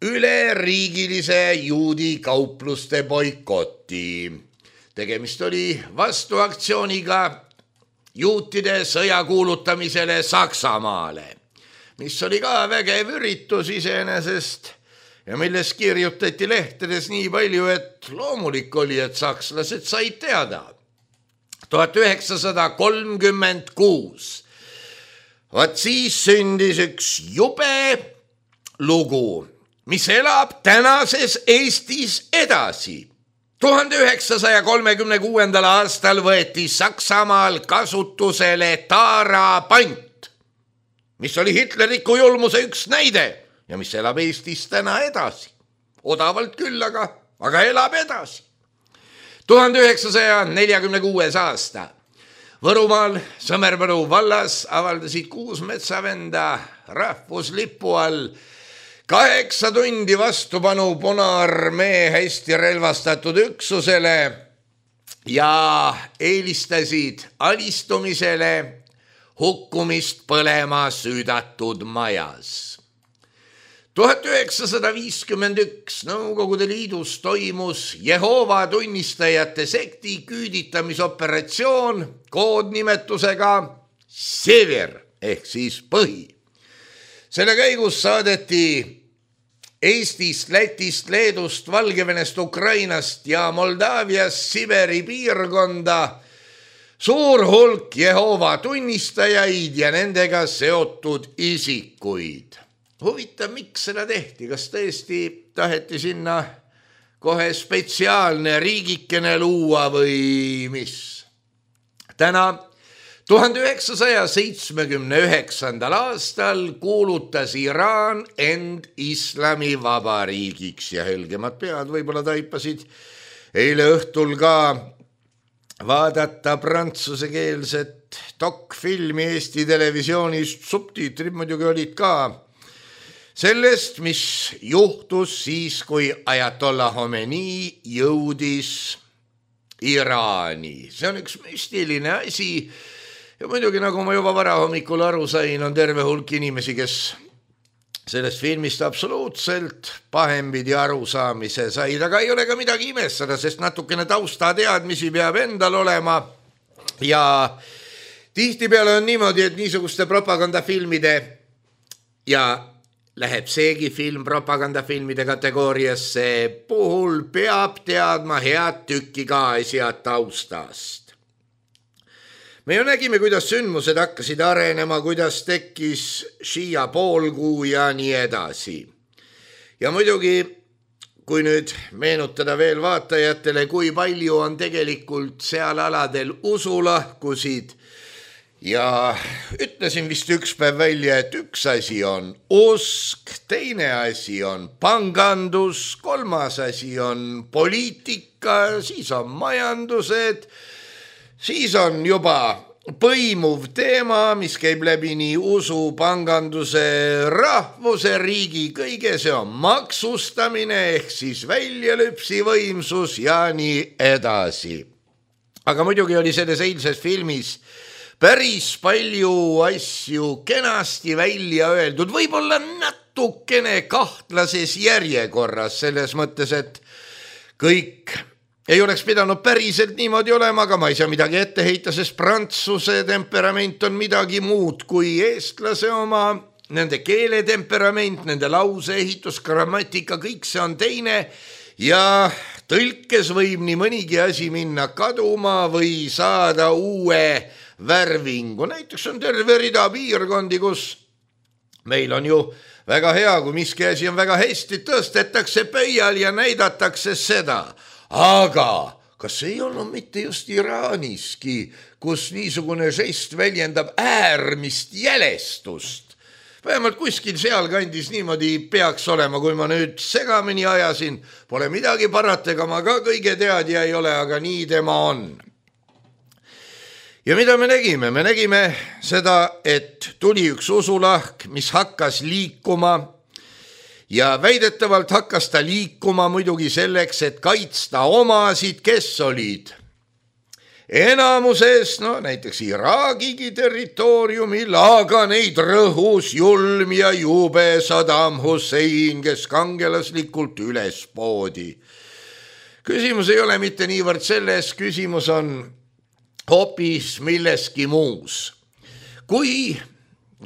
üleriigilise juudi kaupluste boikoti. Tegemist oli vastuaktsiooniga juutide sõja kuulutamisele Saksamaale, mis oli ka vägev üritus iseenesest ja milles kirjutati lehtedes nii palju, et loomulik oli, et sakslased said teada. 1936. Vaat siis sündis üks jube lugu, mis elab tänases Eestis edasi. 1936. aastal võeti Saksamaal kasutusele taarapant, mis oli hitlerliku julmuse üks näide ja mis elab Eestis täna edasi. Odavalt küll, aga elab edasi. 1946. aasta. Võrumaal Sõmervõru vallas avaldasid 6 metsavenda rahvuslipu all 8 tundi vastupanu Punaarmee hästi relvastatud üksusele ja eelistasid alistumisele hukkumist põlema süüdatud majas. 1951 Nõukogude Liidus toimus Jehoova tunnistajate sekti küüditamisoperatsioon koodnimetusega Sever ehk siis põhi. Selle käigus saadeti Eestist, Lätist, Leedust, Valgevenest, Ukrainast ja Moldaaviast Siberi piirkonda suur hulk Jehoova tunnistajaid ja nendega seotud isikuid. Huvitav, miks seda tehti? Kas tõesti taheti sinna kohe spetsiaalne riigikene luua või mis? Täna 1979. aastal kuulutas Iraan end islamivabariigiks ja helgemad pead võib-olla taipasid eile õhtul ka vaadata prantsusekeelset dokfilmi Eesti televisioonist, subtiitrid muidugi olid ka sellest, mis juhtus siis, kui Ajatollah Khomeini jõudis Iraani. See on üks müstiline asi ja muidugi, nagu ma juba varahommikul aru sain, on terve hulk inimesi, kes sellest filmist absoluutselt pahempidi arusaamise said, aga ei ole ka midagi imestada, sest natukene taustateadmisi peab endal olema ja tihtipeale on niimoodi, et niisuguste propagandafilmide ja läheb seegi film propagandafilmide kategooriasse puhul peab teadma head tükki ka asja taustast. Me ju nägime, kuidas sündmused hakkasid arenema, kuidas tekkis Shia poolkuu ja nii edasi. Ja muidugi, kui nüüd meenutada veel vaatajatele, kui palju on tegelikult seal aladel usulahkusid ja ütlesin vist üks päev välja, et üks asi on usk, teine asi on pangandus, kolmas asi on poliitika, siis on majandused, siis on juba põimuv teema, mis käib läbi nii usu, panganduse, rahvuse, riigi, kõige see on maksustamine ehk siis väljalüpsi võimsus ja nii edasi. Aga muidugi oli selles eilses filmis päris palju asju kenasti välja öeldud, võib-olla natukene kahtlases järjekorras selles mõttes, et kõik ei oleks pidanud päriselt niimoodi olema, aga ma ei saa midagi ette heita, sest prantsuse temperament on midagi muud kui eestlase oma, nende keeletemperament, nende lauseehitus, grammatika, kõik see on teine ja tõlkes võib nii mõnigi asi minna kaduma või saada uue värvingu. Näiteks on terve rida piirkondi, kus meil on ju väga hea, kui miski asi on väga hästi, tõstetakse pöial ja näidatakse seda. Aga kas ei olnud mitte just Iraaniski, kus niisugune žest väljendab äärmist jälestust? Vähemalt kuskil sealkandis niimoodi peaks olema, kui ma nüüd segamini ajasin. Pole midagi parata, ega ma ka kõige teadja ei ole, aga nii tema on. Ja mida me nägime? Me nägime seda, et tuli üks usulahk, mis hakkas liikuma ja väidetavalt hakkas ta liikuma muidugi selleks, et kaitsta omasid, kes olid enamuses, näiteks Iraagigi territooriumil, aga neid rõhus julm ja jube Saddam Hussein, kes kangelaslikult üles poodi. Küsimus ei ole mitte niivõrd selles, küsimus on hoopis milleski muus. Kui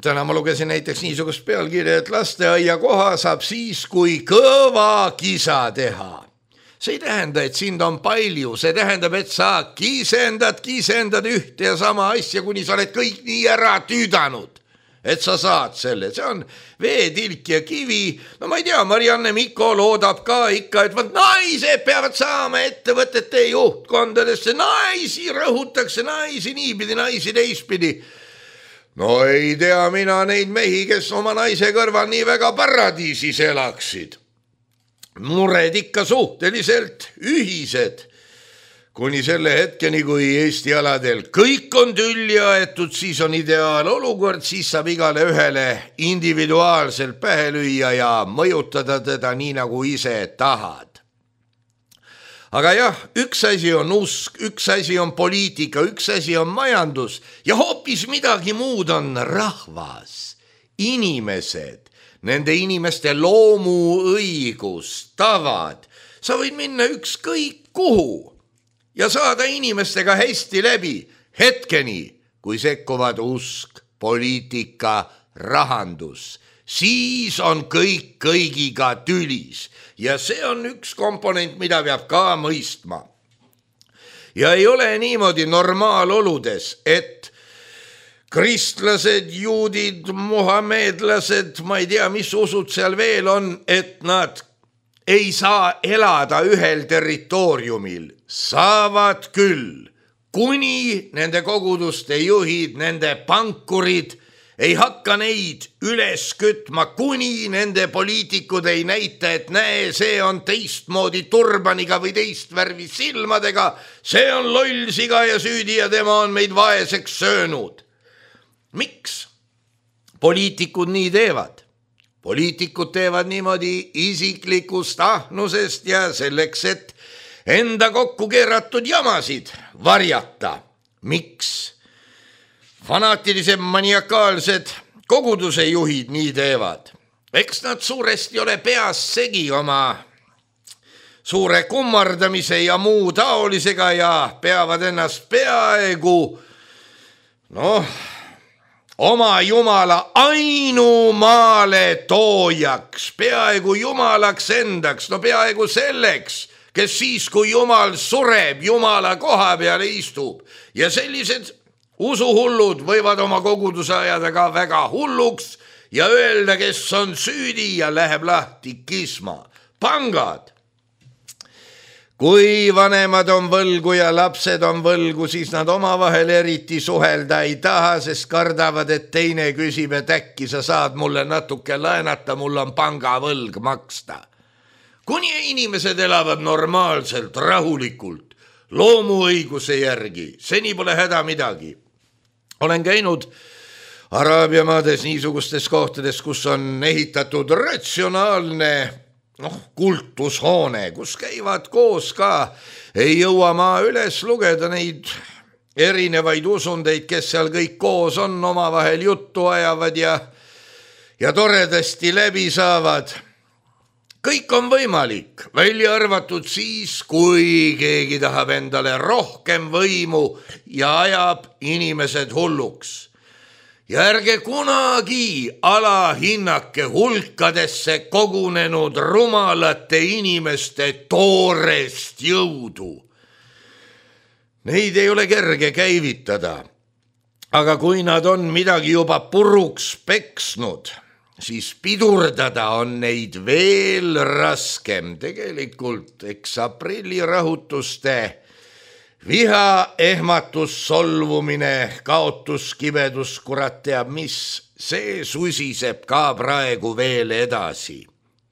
täna ma lugesin näiteks niisugust pealkirja, et lasteaia koha saab siis, kui kõva kisa teha. See ei tähenda, et sind on palju, see tähendab, et sa kisendad ühte ja sama asja, kuni sa oled kõik nii ära tüüdanud, et sa saad selle. See on veetilk ja kivi. No ma ei tea, Marianne Mikko loodab ka ikka, et naised peavad saama ettevõtete juhtkondadesse, naisi rõhutakse, naisi niipidi, naisi teistpidi. No ei tea mina neid mehi, kes oma naise kõrval nii väga paradiisis elaksid. Mured ikka suhteliselt ühised, kuni selle hetkeni, kui Eesti aladel kõik on tülli aetud, siis on ideaalolukord, siis saab igale ühele individuaalselt pähe lüüa ja mõjutada teda nii, nagu ise tahad. Aga jah, üks asi on usk, üks asi on poliitika, üks asi on majandus ja hoopis midagi muud on rahvas, inimesed, nende inimeste loomuõigus, tavad. Sa võid minna ükskõik kuhu ja saada inimestega hästi läbi hetkeni, kui sekkuvad usk, poliitika, rahandus. Siis on kõik kõigiga tülis ja see on üks komponent, mida peab ka mõistma. Ja ei ole niimoodi normaaloludes, et kristlased, juudid, muhamedlased, ma ei tea, mis usud seal veel on, et nad ei saa elada ühel territooriumil. Saavad küll, kuni nende koguduste juhid, nende pankurid ei hakka neid üles kütma, kuni nende poliitikud ei näita, et näe, see on teistmoodi turbaniga või teist värvi silmadega, see on loll siga ja süüdi ja tema on meid vaeseks söönud. Miks poliitikud nii teevad? Poliitikud teevad niimoodi isiklikust ahnusest ja selleks, et enda kokku keeratud jamasid varjata. Miks fanaatilised maniakaalsed koguduse juhid nii teevad? Eks nad suuresti ole peas segi oma suure kummardamise ja muu taolisega ja peavad ennast peaaegu oma jumala ainumaale toojaks, peaaegu jumalaks endaks, peaaegu selleks, kes siis, kui jumal sureb, jumala koha peale istub. Ja sellised usuhullud võivad oma koguduse ajada ka väga hulluks ja öelda, kes on süüdi ja läheb lahti kisma. Pangad. Kui vanemad on võlgu ja lapsed on võlgu, siis nad omavahel eriti suhelda ei taha, sest kardavad, et teine küsib, et äkki sa saad mulle natuke laenata, mul on pangavõlg maksta. Kuni inimesed elavad normaalselt, rahulikult, loomuõiguse järgi, seni pole häda midagi. Olen käinud Araabia maades niisugustes kohtades, kus on ehitatud ratsionaalne kultushoone, kus käivad koos ka. Ei jõua ma üles lugeda neid erinevaid usundeid, kes seal kõik koos on, omavahel juttu ajavad ja toredasti läbi saavad. Kõik on võimalik, välja arvatud siis, kui keegi tahab endale rohkem võimu ja ajab inimesed hulluks. Ja ärge kunagi alahinnake hulkadesse kogunenud rumalate inimeste toorest jõudu. Neid ei ole kerge käivitada, aga kui nad on midagi juba puruks peksnud, siis pidurdada on neid veel raskem. Tegelikult eks aprillirahutuste viha, ehmatus, solvumine, kaotus, kibedus, kurat teab mis, see susiseb ka praegu veel edasi.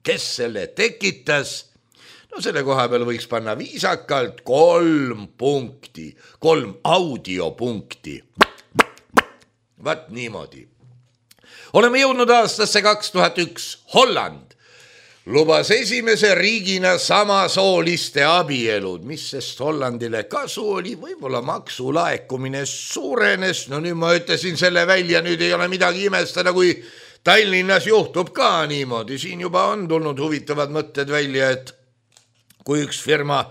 Kes selle tekitas? Selle koha peal võiks panna viisakalt 3 punkti, 3 audiopunkti. Vaat niimoodi. Oleme jõudnud aastasse 2001. Holland lubas esimese riigina samasooliste abielud, mis sest Hollandile kasu oli, võib-olla maksulaekumine suurenes. Nüüd ma ütlesin selle välja, nüüd ei ole midagi imestada, kui Tallinnas juhtub ka niimoodi. Siin juba on tulnud huvitavad mõtted välja, et kui üks firma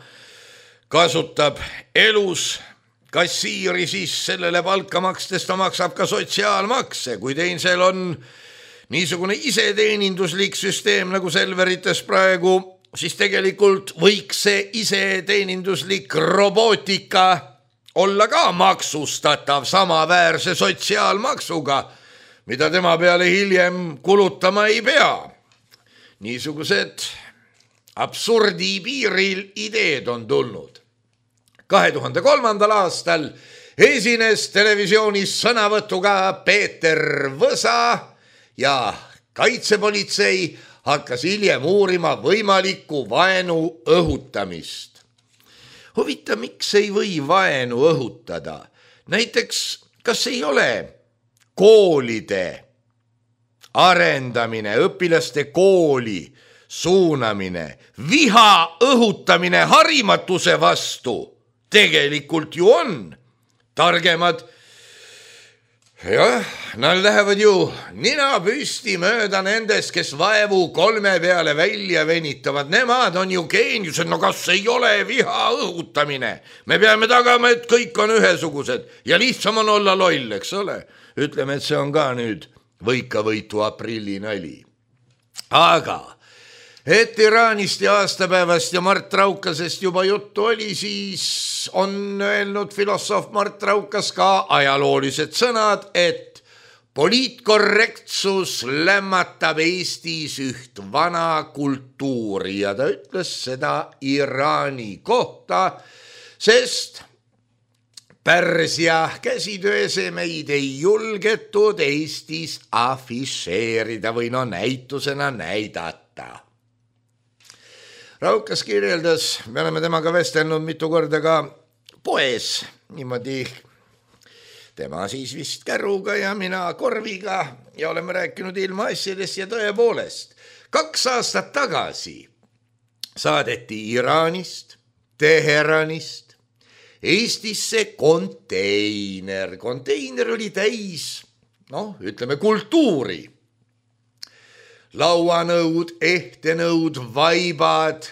kasutab elus kassiiri, siis sellele palka makstes ta maksab ka sotsiaalmakse. Kui teisel on niisugune iseteeninduslik süsteem nagu Selverites praegu, siis tegelikult võiks see iseteeninduslik robootika olla ka maksustatav samaväärse sotsiaalmaksuga, mida tema peale hiljem kulutama ei pea. Niisugused absurdi piiril ideed on tulnud. 2003. aastal esines televisioonis sõnavõtuga Peeter Võsa ja kaitsepolitsei hakkas hiljem uurima võimalikku vaenu õhutamist. Huvitav, miks ei või vaenu õhutada? Näiteks, kas ei ole koolide arendamine, õpilaste kooli suunamine, viha õhutamine harimatuse vastu? Tegelikult ju on. Targemad Jah, nad lähevad ju nina püsti mööda nendest, kes vaevu 3 peale välja venitavad. Nemad on ju geeniused, no kas ei ole viha õhutamine? Me peame tagama, et kõik on ühesugused ja lihtsam on olla loll, eks ole? Ütleme, et see on ka nüüd võikavõitu aprilli nali. Aga et Iraanist ja aastapäevast ja Mart Raukasest juba juttu oli, siis on öelnud filosoof Mart Raukas ka ajaloolised sõnad, et poliitkorrektsus lämmatab Eestis üht vana kultuuri ja ta ütles seda Iraani kohta, sest Pärsia käsitööesemeid ei julgetud Eestis afišeerida või näitusena näidata. Raukas kirjeldas, me oleme temaga vestelnud mitu korda ka poes, niimoodi tema siis vist käruga ja mina korviga ja oleme rääkinud ilmaasjadest ja tõepoolest. 2 aastat tagasi saadeti Iraanist, Teheranist Eestisse konteiner. Konteiner oli täis, ütleme kultuuri. Lauanõud, ehtenõud, vaibad.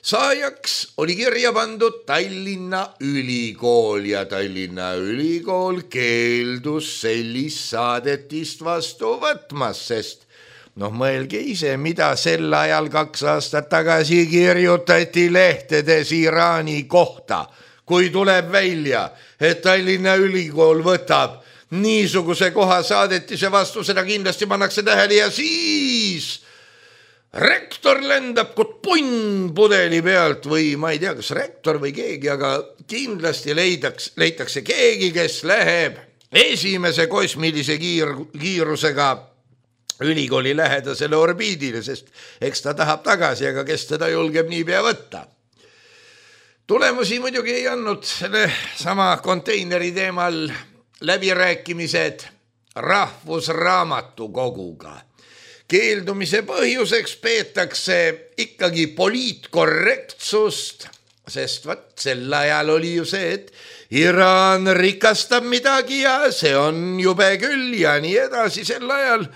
Saajaks oli kirja pandud Tallinna Ülikool ja Tallinna Ülikool keeldus sellist saadetist vastu võtmas, sest mõelge ise, mida sel ajal 2 aastat tagasi kirjutati lehtedes Iraani kohta, kui tuleb välja, et Tallinna Ülikool võtab niisuguse koha saadetise vastu, seda kindlasti pannakse tähele ja siis rektor lendab kui punn pudeli pealt või ma ei tea, kas rektor või keegi, aga kindlasti leitakse keegi, kes läheb esimese kosmilise kiirusega ülikooli lähedasele orbiidile, sest eks ta tahab tagasi, aga kes teda julgeb niipea võtta. Tulemusi muidugi ei andnud selle sama konteineri teemal läbirääkimised Rahvusraamatukoguga. Keeldumise põhjuseks peetakse ikkagi poliitkorrektsust, sest sel ajal oli ju see, et Iraan rikastab midagi ja see on jube küll ja nii edasi. Sel ajal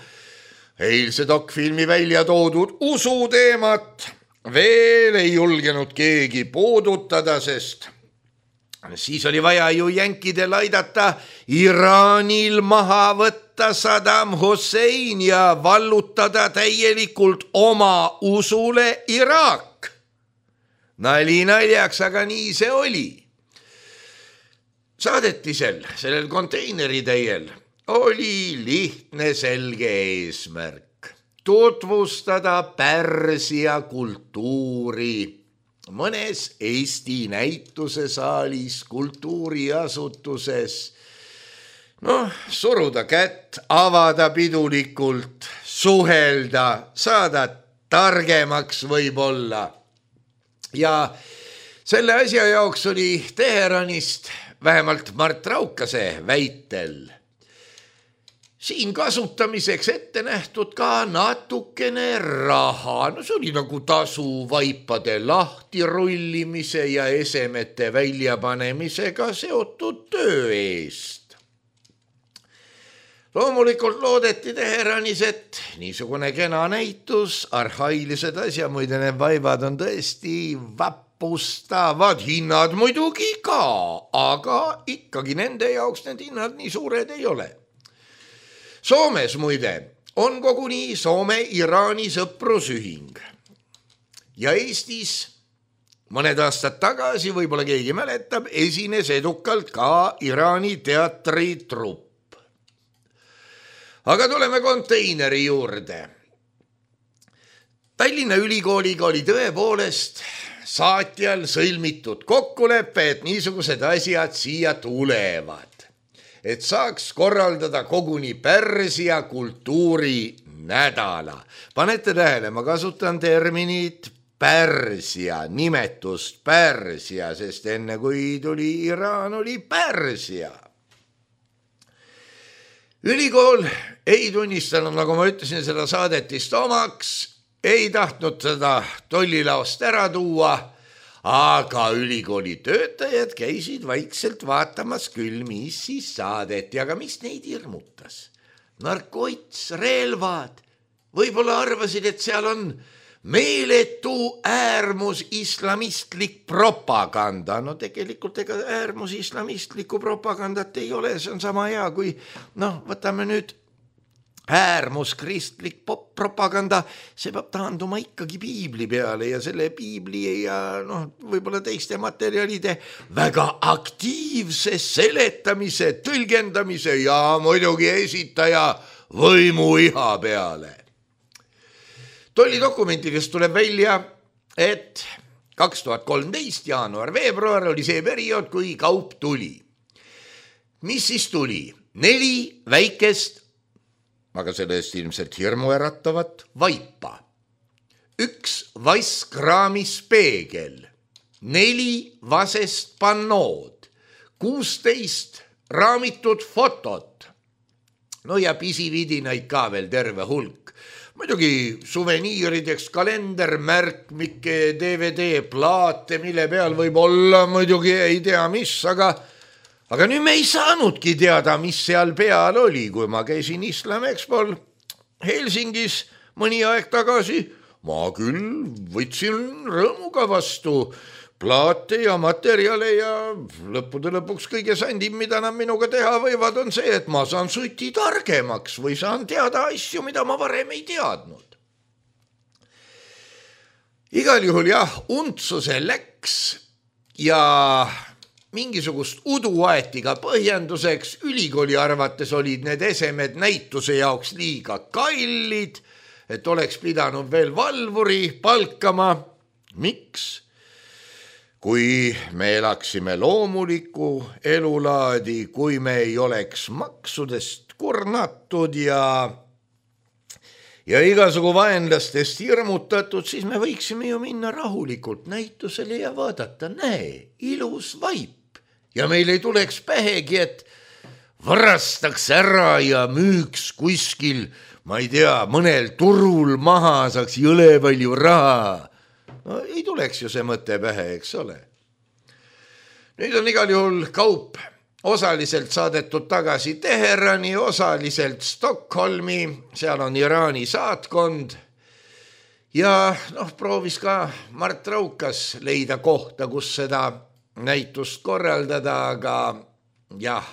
eilse dokfilmi välja toodud usuteemat veel ei julgenud keegi puudutada, sest siis oli vaja ju jänkidel aidata Iraanil maha võtta Saddam Hussein ja vallutada täielikult oma usule Iraak. Nali naljaks, aga nii see oli. Saadetisel, sellel konteineritäiel oli lihtne selge eesmärk. Tutvustada Pärsia kultuuri mõnes Eesti näitusesaalis, kultuuriasutuses, suruda kätt, avada pidulikult, suhelda, saada targemaks võib-olla. Ja selle asja jaoks oli Teheranist, vähemalt Mart Raukase väitel, siin kasutamiseks ette nähtud ka natukene raha. See oli nagu tasu vaipade lahtirullimise ja esemete väljapanemisega seotud töö eest. Loomulikult loodeti Teheranis, et niisugune kena näitus, arhailised asja, muide need vaibad on tõesti vappustavad, hinnad muidugi ka, aga ikkagi nende jaoks need hinnad nii suured ei ole. Soomes muide on koguni Soome-Iraani sõprusühing ja Eestis mõned aastad tagasi, võib-olla keegi mäletab, esines edukalt ka Iraani teatritrupp. Aga tuleme konteineri juurde. Tallinna Ülikooliga oli tõepoolest saatjal sõlmitud kokkulepe, et niisugused asjad siia tulevad. Et saaks korraldada koguni Pärsia kultuuri nädala. Panete tähele, ma kasutan terminit Pärsia, nimetust Pärsia, sest enne kui tuli Iraan, oli Pärsia. Ülikool ei tunnistanud, nagu ma ütlesin, seda saadetist omaks, ei tahtnud seda tollilaost ära tuua, aga ülikooli töötajad käisid vaikselt vaatamas küll, mis siis saadeti, aga mis neid hirmutas? Narkots, relvad, võib-olla arvasid, et seal on meeletu äärmus islamistlik propaganda. No tegelikult ega äärmus islamistlikku propagandat ei ole, see on sama hea kui, võtame nüüd äärmus kristlik propaganda, see peab taanduma ikkagi piibli peale ja selle piibli ja võib-olla teiste materjalide väga aktiivse seletamise, tõlgendamise ja muidugi esitaja võimuiha peale. Tollidokumentidest tuleb välja, et 2013 jaanuar-veebruar oli see periood, kui kaup tuli. Mis siis tuli? 4 väikest, aga selle eest ilmselt hirmu äratavat vaipa. 1 vasskraamispeegel, 4 vasest pannood, 16 raamitud fotot. No ja pisividinaid ka veel terve hulk. Muidugi suveniirideks kalender, märkmike, DVD, plaate, mille peal võib olla muidugi ei tea mis, aga nüüd me ei saanudki teada, mis seal peal oli, kui ma käisin Islam Expol Helsingis mõni aeg tagasi. Ma küll võtsin rõõmuga vastu plaate ja materjale ja lõppude lõpuks kõige sandim, mida nad minuga teha võivad, on see, et ma saan suti targemaks või saan teada asju, mida ma varem ei teadnud. Igal juhul jah, untsuse läks ja mingisugust udu aeti ka põhjenduseks. Ülikooli arvates olid need esemed näituse jaoks liiga kallid, et oleks pidanud veel valvuri palkama. Miks? Kui me elaksime loomulikku elulaadi, kui me ei oleks maksudest kurnatud ja igasugu vaenlastest hirmutatud, siis me võiksime ju minna rahulikult näitusele ja vaadata, näe, ilus vaip. Ja meil ei tuleks pähegi, et varastaks ära ja müüks kuskil, ma ei tea, mõnel turul maha, saaks jõle palju raha. No, ei tuleks ju see mõte pähe, eks ole. Nüüd on igal juhul kaup osaliselt saadetud tagasi Teherani, osaliselt Stockholmi, seal on Iraani saatkond ja proovis ka Mart Raukas leida kohta, kus seda näitust korraldada, aga jah,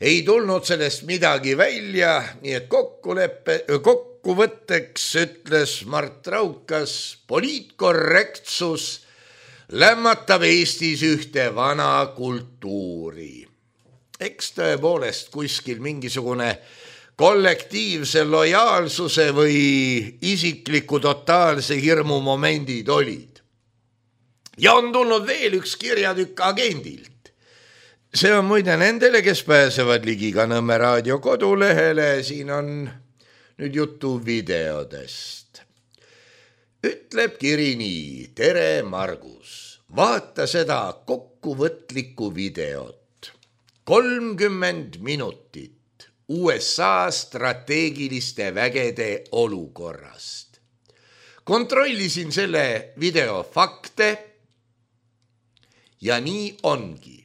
ei tulnud sellest midagi välja, nii et kokkuvõtteks ütles Mart Raukas, poliitkorrektsus lämmatab Eestis ühte vana kultuuri. Eks tõepoolest kuskil mingisugune kollektiivse lojaalsuse või isikliku totaalse hirmu momendid olid. Ja on tulnud veel üks kirjatükk agendilt. See on muide nendele, kes pääsevad ligi ka Nõmme raadio kodulehele, siin on nüüd juttu videodest. Ütleb kiri nii, tere Margus, vaata seda kokkuvõtlikku videot. 30 minutit USA strateegiliste vägede olukorrast. Kontrollisin selle video fakte ja nii ongi.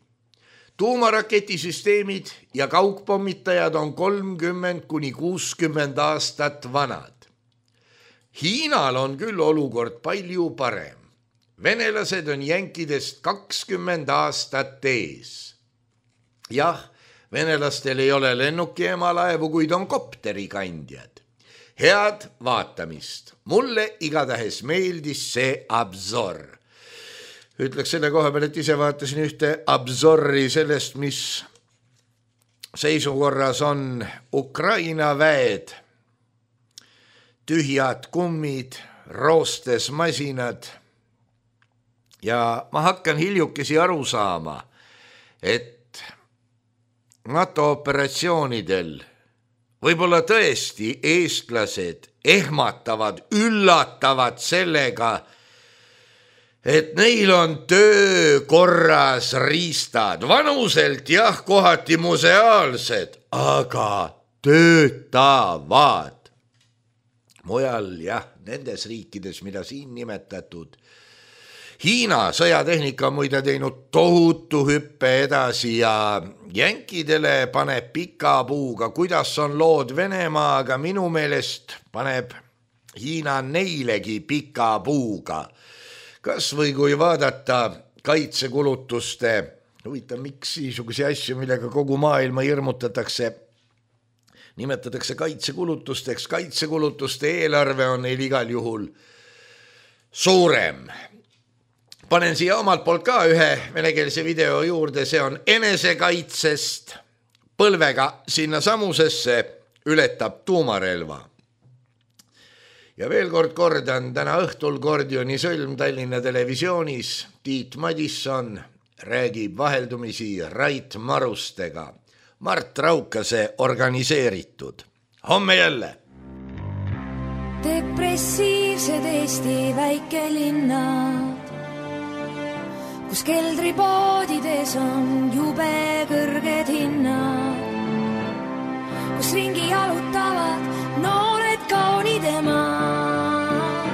Tuumaraketisüsteemid ja kaugpommitajad on 30–60 aastat vanad. Hiinal on küll olukord palju parem. Venelased on jänkidest 20 aastat ees. Jah, venelastel ei ole lennukiemalaevu, kuid on kopterikandjad. Head vaatamist. Mulle igatahes meeldis see absor. Ütleks selle koha peal, et ise vaatasin ühte absorri sellest, mis seisukorras on Ukraina väed, tühjad kummid, roostes masinad. Ja ma hakkan hiljukesi aru saama, et NATO operatsioonidel võib-olla tõesti eestlased ehmatavad, üllatavad sellega, et neil on töökorras riistad, vanuselt jah, kohati museaalsed, aga töötavad. Mujal jah, nendes riikides, mida siin nimetatud, Hiina sõjatehnika on muide teinud tohutu hüppe edasi ja jänkidele paneb pika puuga, kuidas on lood Venemaaga, minu meelest paneb Hiina neilegi pika puuga. Kas või kui vaadata kaitsekulutuste, huvitav, miks niisuguse asju, millega kogu maailma hirmutatakse, nimetatakse kaitsekulutusteks, kaitsekulutuste eelarve on neil igal juhul suurem. Panen siia omalt poolt ka ühe venekeelse video juurde, see on enesekaitsest põlvega sinna samusesse ületab tuumarelva. Ja veel kord kordan, täna õhtul Gordioni sõlm Tallinna televisioonis Tiit Madisson räägib vaheldumisi Rait Marustega. Mart Raukase organiseeritud. Homme jälle! Depressiivsed Eesti väikelinnad, kus keldripoodides on jube kõrged hinnad, kus ringi jalutavad noored kaunid emad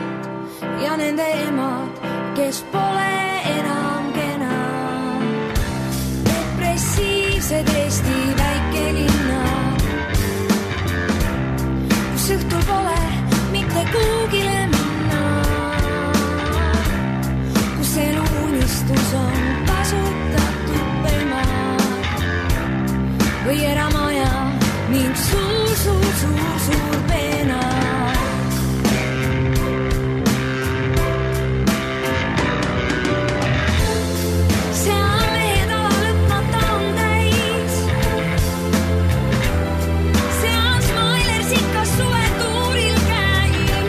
ja nende emad, kes pole enam kenad. Depressiivsed Eesti väikelinnad, kus õhtul pole mitte kuugile minna, kus elu unistus on kasutatud pelmad või eramaja ning suur peena. Seal mehed ala lõpmata on täis, seal Smailers ikka suvetuuril käib,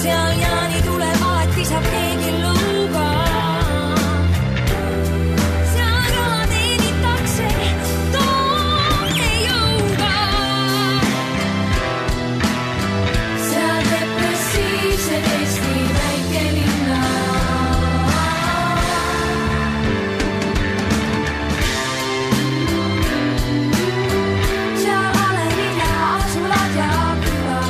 seal Jaani tuleb alati saab keegi lõuga, seal raha teenitakse toone jõuga, seal depressiivsed Eesti väikelinna, seal Alevile asulad ja küla.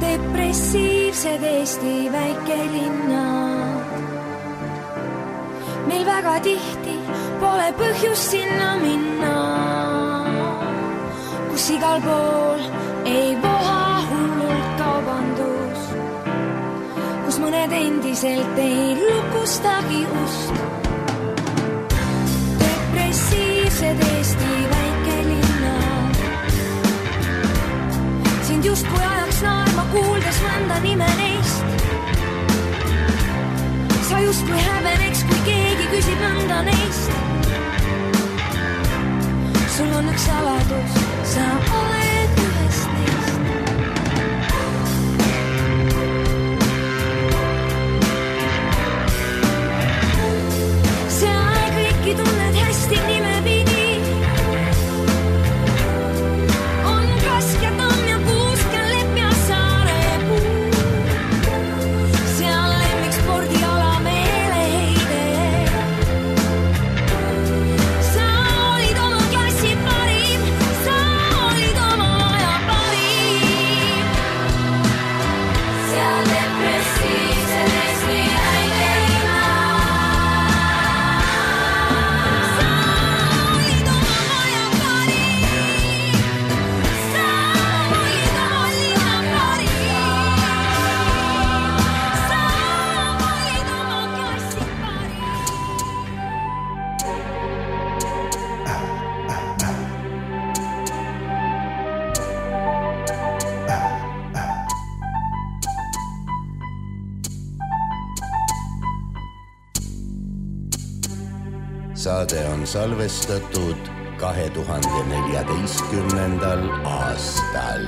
Depressiivsed Eesti väikelinnad, meil väga tihti pole põhjust sinna minna, kus igal pool ei voha hullult kaubandus, kus mõned endiselt ei lukustagi ust. Depressiivsed Eesti väikelinnad, sind justkui ajaks naerma kuuldes mõnda nime neist. Sa justkui häbeneks, kui keegi küsib mõnda neist. Sul on üks saladus, sa oled ühest neist. Seal kõiki tunned hästi nime pidi, on Kask ja Tamm ja Kuusk ja Lepp ja Saarepuu. Seal lemmik spordiala meeleheide, sa olid oma klassi parim, sa olid oma aja parim. Seal depressiivsed Eesti väikelinnad, sa olid oma aja parim, sa olid oma linna parim, sa olid oma klassi parim. Saade on salvestatud 2014. aastal.